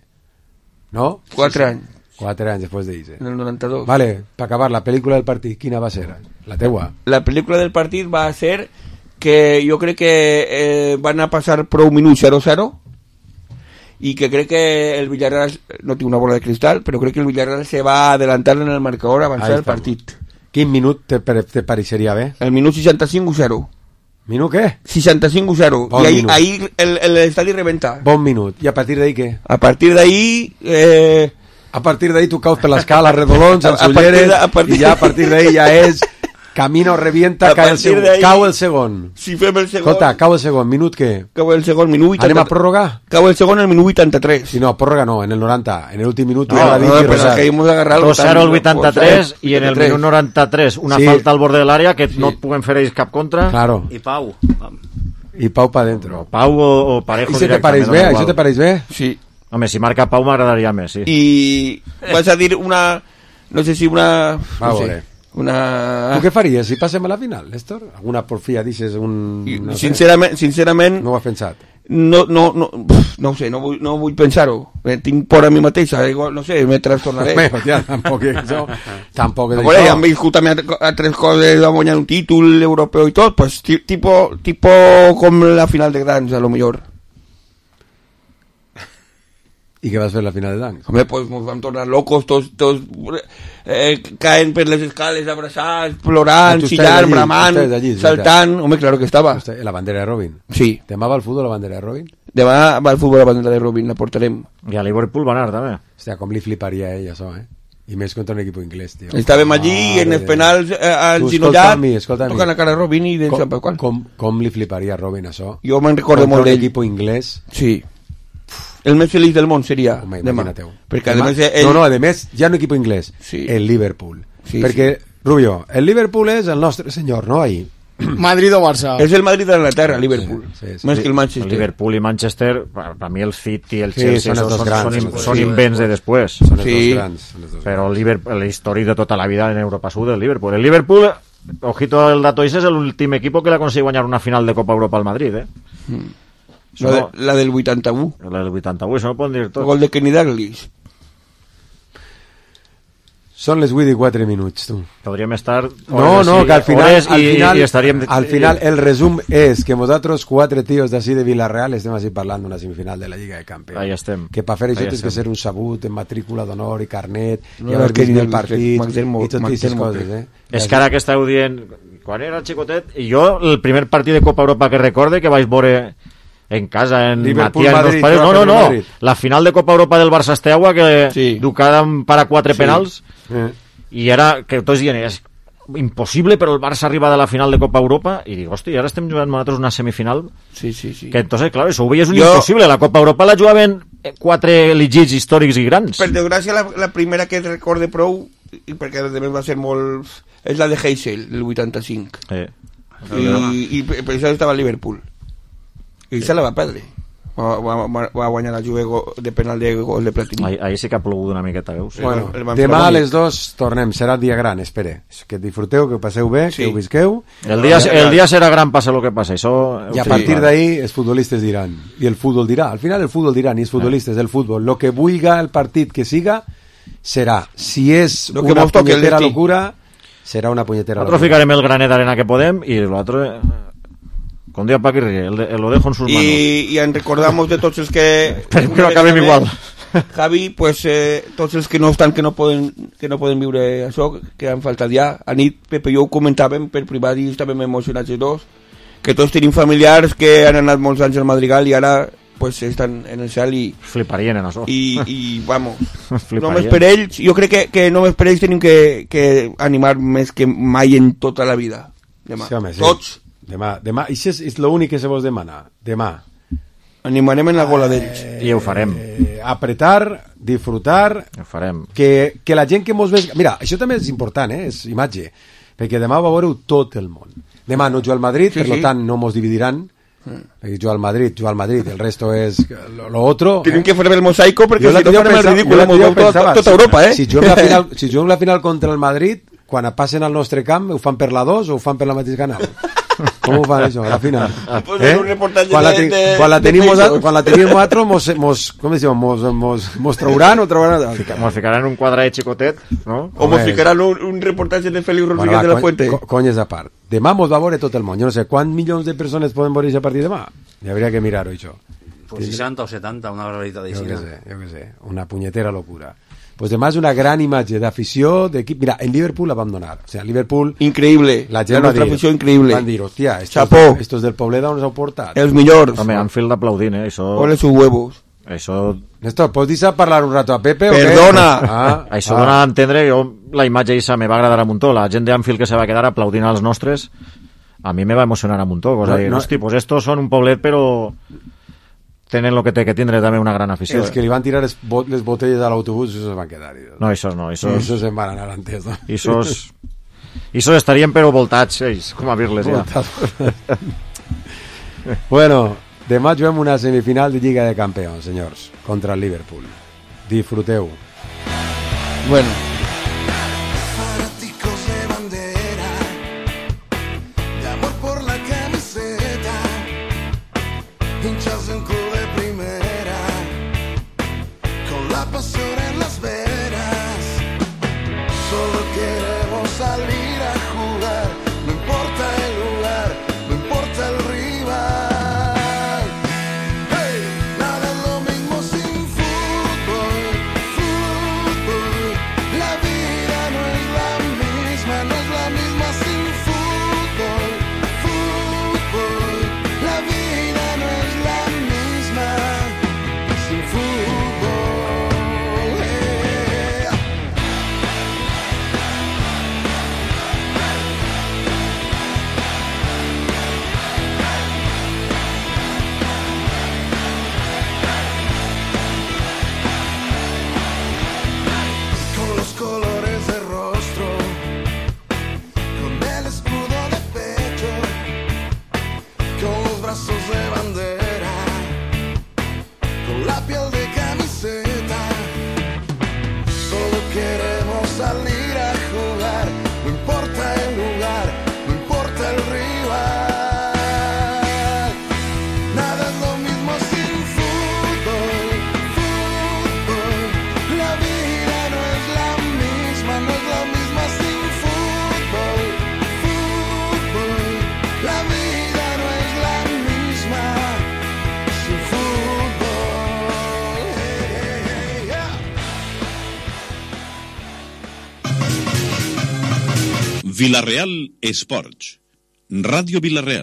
¿No? 4 anys. 4 anys després d'Ixe. En el 92. Vale, per acabar, la pel·lícula del partit, quina va ser? La teua. La pel·lícula del partit va ser que jo crec que van a passar prou minuts 0-0 i que crec que el Villarreal, no tinc una bola de cristal, però crec que el Villarreal se va adelantar en el marcador a avançar el partit. Quin minut te pareixeria bé? El minut 65-0. ¿Minut què? 65-0. Bon I ahí el estadi reventa. Bon minut. I a partir d'ahí què? A partir d'ahí... A partir d'ahí tu caus per l'escala, redolons, els ulleres, i ja a partir d'ahí ja és camino, revienta, cau el segon. Si fem el segon... Escolta, cau el segon, minut què? Cau el segon, minut 80... Anem a pròrroga? Cau el segon el minut 83. Sí, no, pròrroga no, en el 90, en l'últim minut... No, però és que hemos agarrat... 2-0 el 83 i en el minut 93 una falta al borde de l'àrea que no et puguen fer ells cap contra. Claro. I Pau. I Pau pa dentro. Pau o Parejo directament. Això te pareix bé? Sí. Home, si marca Pau m'agradaria més, sí. I vas a dir una... No sé si una... Va a veure. Tu què faries si passem a la final, Néstor? Alguna porfia dices un... No sincerament... No ho has pensat? No ho sé, no vull pensar-ho. Tinc por a mi mateixa, no sé, me trastornaré. Ja, tampoc és això. Tampoc és això. Han viscut també a 3 coses, va guanyar un títol europeu i tot, pues tipo com la final de Grans, a lo millor. I què vas fer a la final de Dancs? Home, pues nos vam tornar locos, tots caen per les escales, abraçats, plorant, xillant, bramant, saltant. Home, claro que estava. La bandera de Robin. Sí. Demà va al futbol la bandera de Robin? Demà va al futbol la bandera de Robin, la portarem. I a Liverpool va anar, també. Hòstia, com li fliparia ell, això, I més contra un equip inglès, tio. Estàvem allí, en els penals, al ginollat, tocant la cara a Robin i de Sant Pau. Com li fliparia a Robin, això? Jo me'n recordo molt d'ell. Contra un equip inglès. Sí. El més feliç del món seria demà. Perquè a més, ja no equip inglès, el Liverpool. Perquè, Rubio, el Liverpool és el nostre senyor, no? Ahí. Madrid o Barça. És el Madrid d'Anglaterra, Liverpool. Més que el Manchester. El Liverpool i Manchester, per mi el City i el Chelsea són invents de després. Són els dos grans. Però l'històric de tota la vida en Europa Sud, el Liverpool. El Liverpool, ojito el dato, és l'últim equip que l'ha aconseguit guanyar una final de Copa Europa al Madrid, La del 81. La del 81, això no ho poden dir tot. El gol de Kenny Dalglish. Són les 8 i 4 minuts, tu. Podríem estar... No, que al final, i estaríem... Al final el resum és que nosaltres 4 tios d'ací de Villarreal estem així parlant d'una semifinal de la Lliga de Campions. Ahí estem. Que per fer això tens que ser un sabut en matrícula d'honor i carnet i haver vist el partit i totes aquestes coses, És que ara que estàveu dient quan era xicotet, i jo el primer partit de Copa Europa que recorde que vaig veure en casa, en Matías, Madrid, no, la final de Copa Europa del Barça Esteaua que Ducada para 4 penals i era que tots dient és impossible però el Barça arriba de la final de Copa Europa i dic, hosti, ara estem jugant nosaltres una semifinal que entonces, claro, això ho veies un impossible, la Copa Europa la jugaven 4 elegits històrics i grans. Per desgràcia la primera que recorde prou i perquè a més va ser molt és la de Heysel, el 85 i per això estava a Liverpool i se la va perdre, va guanyar la Juve de penal de gol de platí. Ahí sí que ha plogut una miqueta, veus? Bueno, demà a les 2 tornem, serà dia gran, espere, que disfruteu, que passeu bé, que ho visqueu. El dia serà gran, passa el que passa, això... I a partir d'ahí els futbolistes diran, i el futbol dirà, al final el futbol diran, i els futbolistes del futbol, lo que vulga el partit que siga, serà, si és una punyetera locura, serà una punyetera locura. Nosaltres ficarem el granet d'arena que podem, i l'altre... Con Dios Paquirri, lo dejo en sus manos. Y recordamos de tots els que... Però acabem igual. Javi, pues tots els que no estan, que no poden viure això, que han faltat ja. A nit, Pepe i jo ho comentàvem per privat i estàvem emocionats els dos, que tots tenim familiars que han anat molts anys al Madrigal i ara pues estan en el cel i... Fliparien en això. I vamos, només per ells, jo crec que només per ells tenim que animar més que mai en tota la vida. Demà, sí, home, sí. Tots. Demà, i això és l'únic que se vos demana. Demà. Animarem en la gola d'ells. I ho farem. Apretar, disfrutar... Ho farem. Que la gent que mos ve... Mira, això també és important, és imatge, perquè demà va veure tot el món. Demà no juga al Madrid, per tant no mos dividiran, perquè juga al Madrid, el resto és lo otro. Tenim que fer el mosaico perquè si no farem el ridícul tota Europa, Si juguem la final contra el Madrid, quan passen al nostre camp, ho fan per la 2 o ho fan per la mateix canal? Com ho fan això, a la final? Quan la tenim nosaltres, mos trauran o trauran... Mos ficaran un quadrat xicotet, no? O mos ficaran un reportatge de Félix Rodríguez de la Fuente. Conyes a part. Demà mos va veure tot el món. Jo no sé, quants milions de persones poden veure a partir de demà? Hi hauria que mirar-ho, això. Pues 60 o 70, una barbaritat jo que sé, una punyetera locura. Pues demà és una gran imatge d'afició, d'equip. Mira, en Liverpool la vam donar. O sea, Liverpool... Increïble. La gent va dir, afició increïble. Van dir, hòstia, estos del Pobleda on s'heu portat. Els millors. Home, Anfield aplaudint, Això... Ole sus huevos. Això... Néstor, pots dir-se parlar un rato a Pepe? Perdona! Això dona a entendre, la imatge aquesta me va agradar a muntó. La gent d'Anfield que se va quedar aplaudint als nostres, a mi me va emocionar a muntó. Hosti, pues estos són un poblet, però... tenen el que té que tindre també una gran afició. Els que li van tirar les botelles a l'autobús, això se van quedar. No, això no. Això se'n van anar antes. No? Això estarien però voltats, ells, com a dir-les ja. Bueno, demà juguem una semifinal de Lliga de Campions, senyors, contra el Liverpool. Disfruteu. Bueno. Vila-real Esports. Ràdio Vila-real.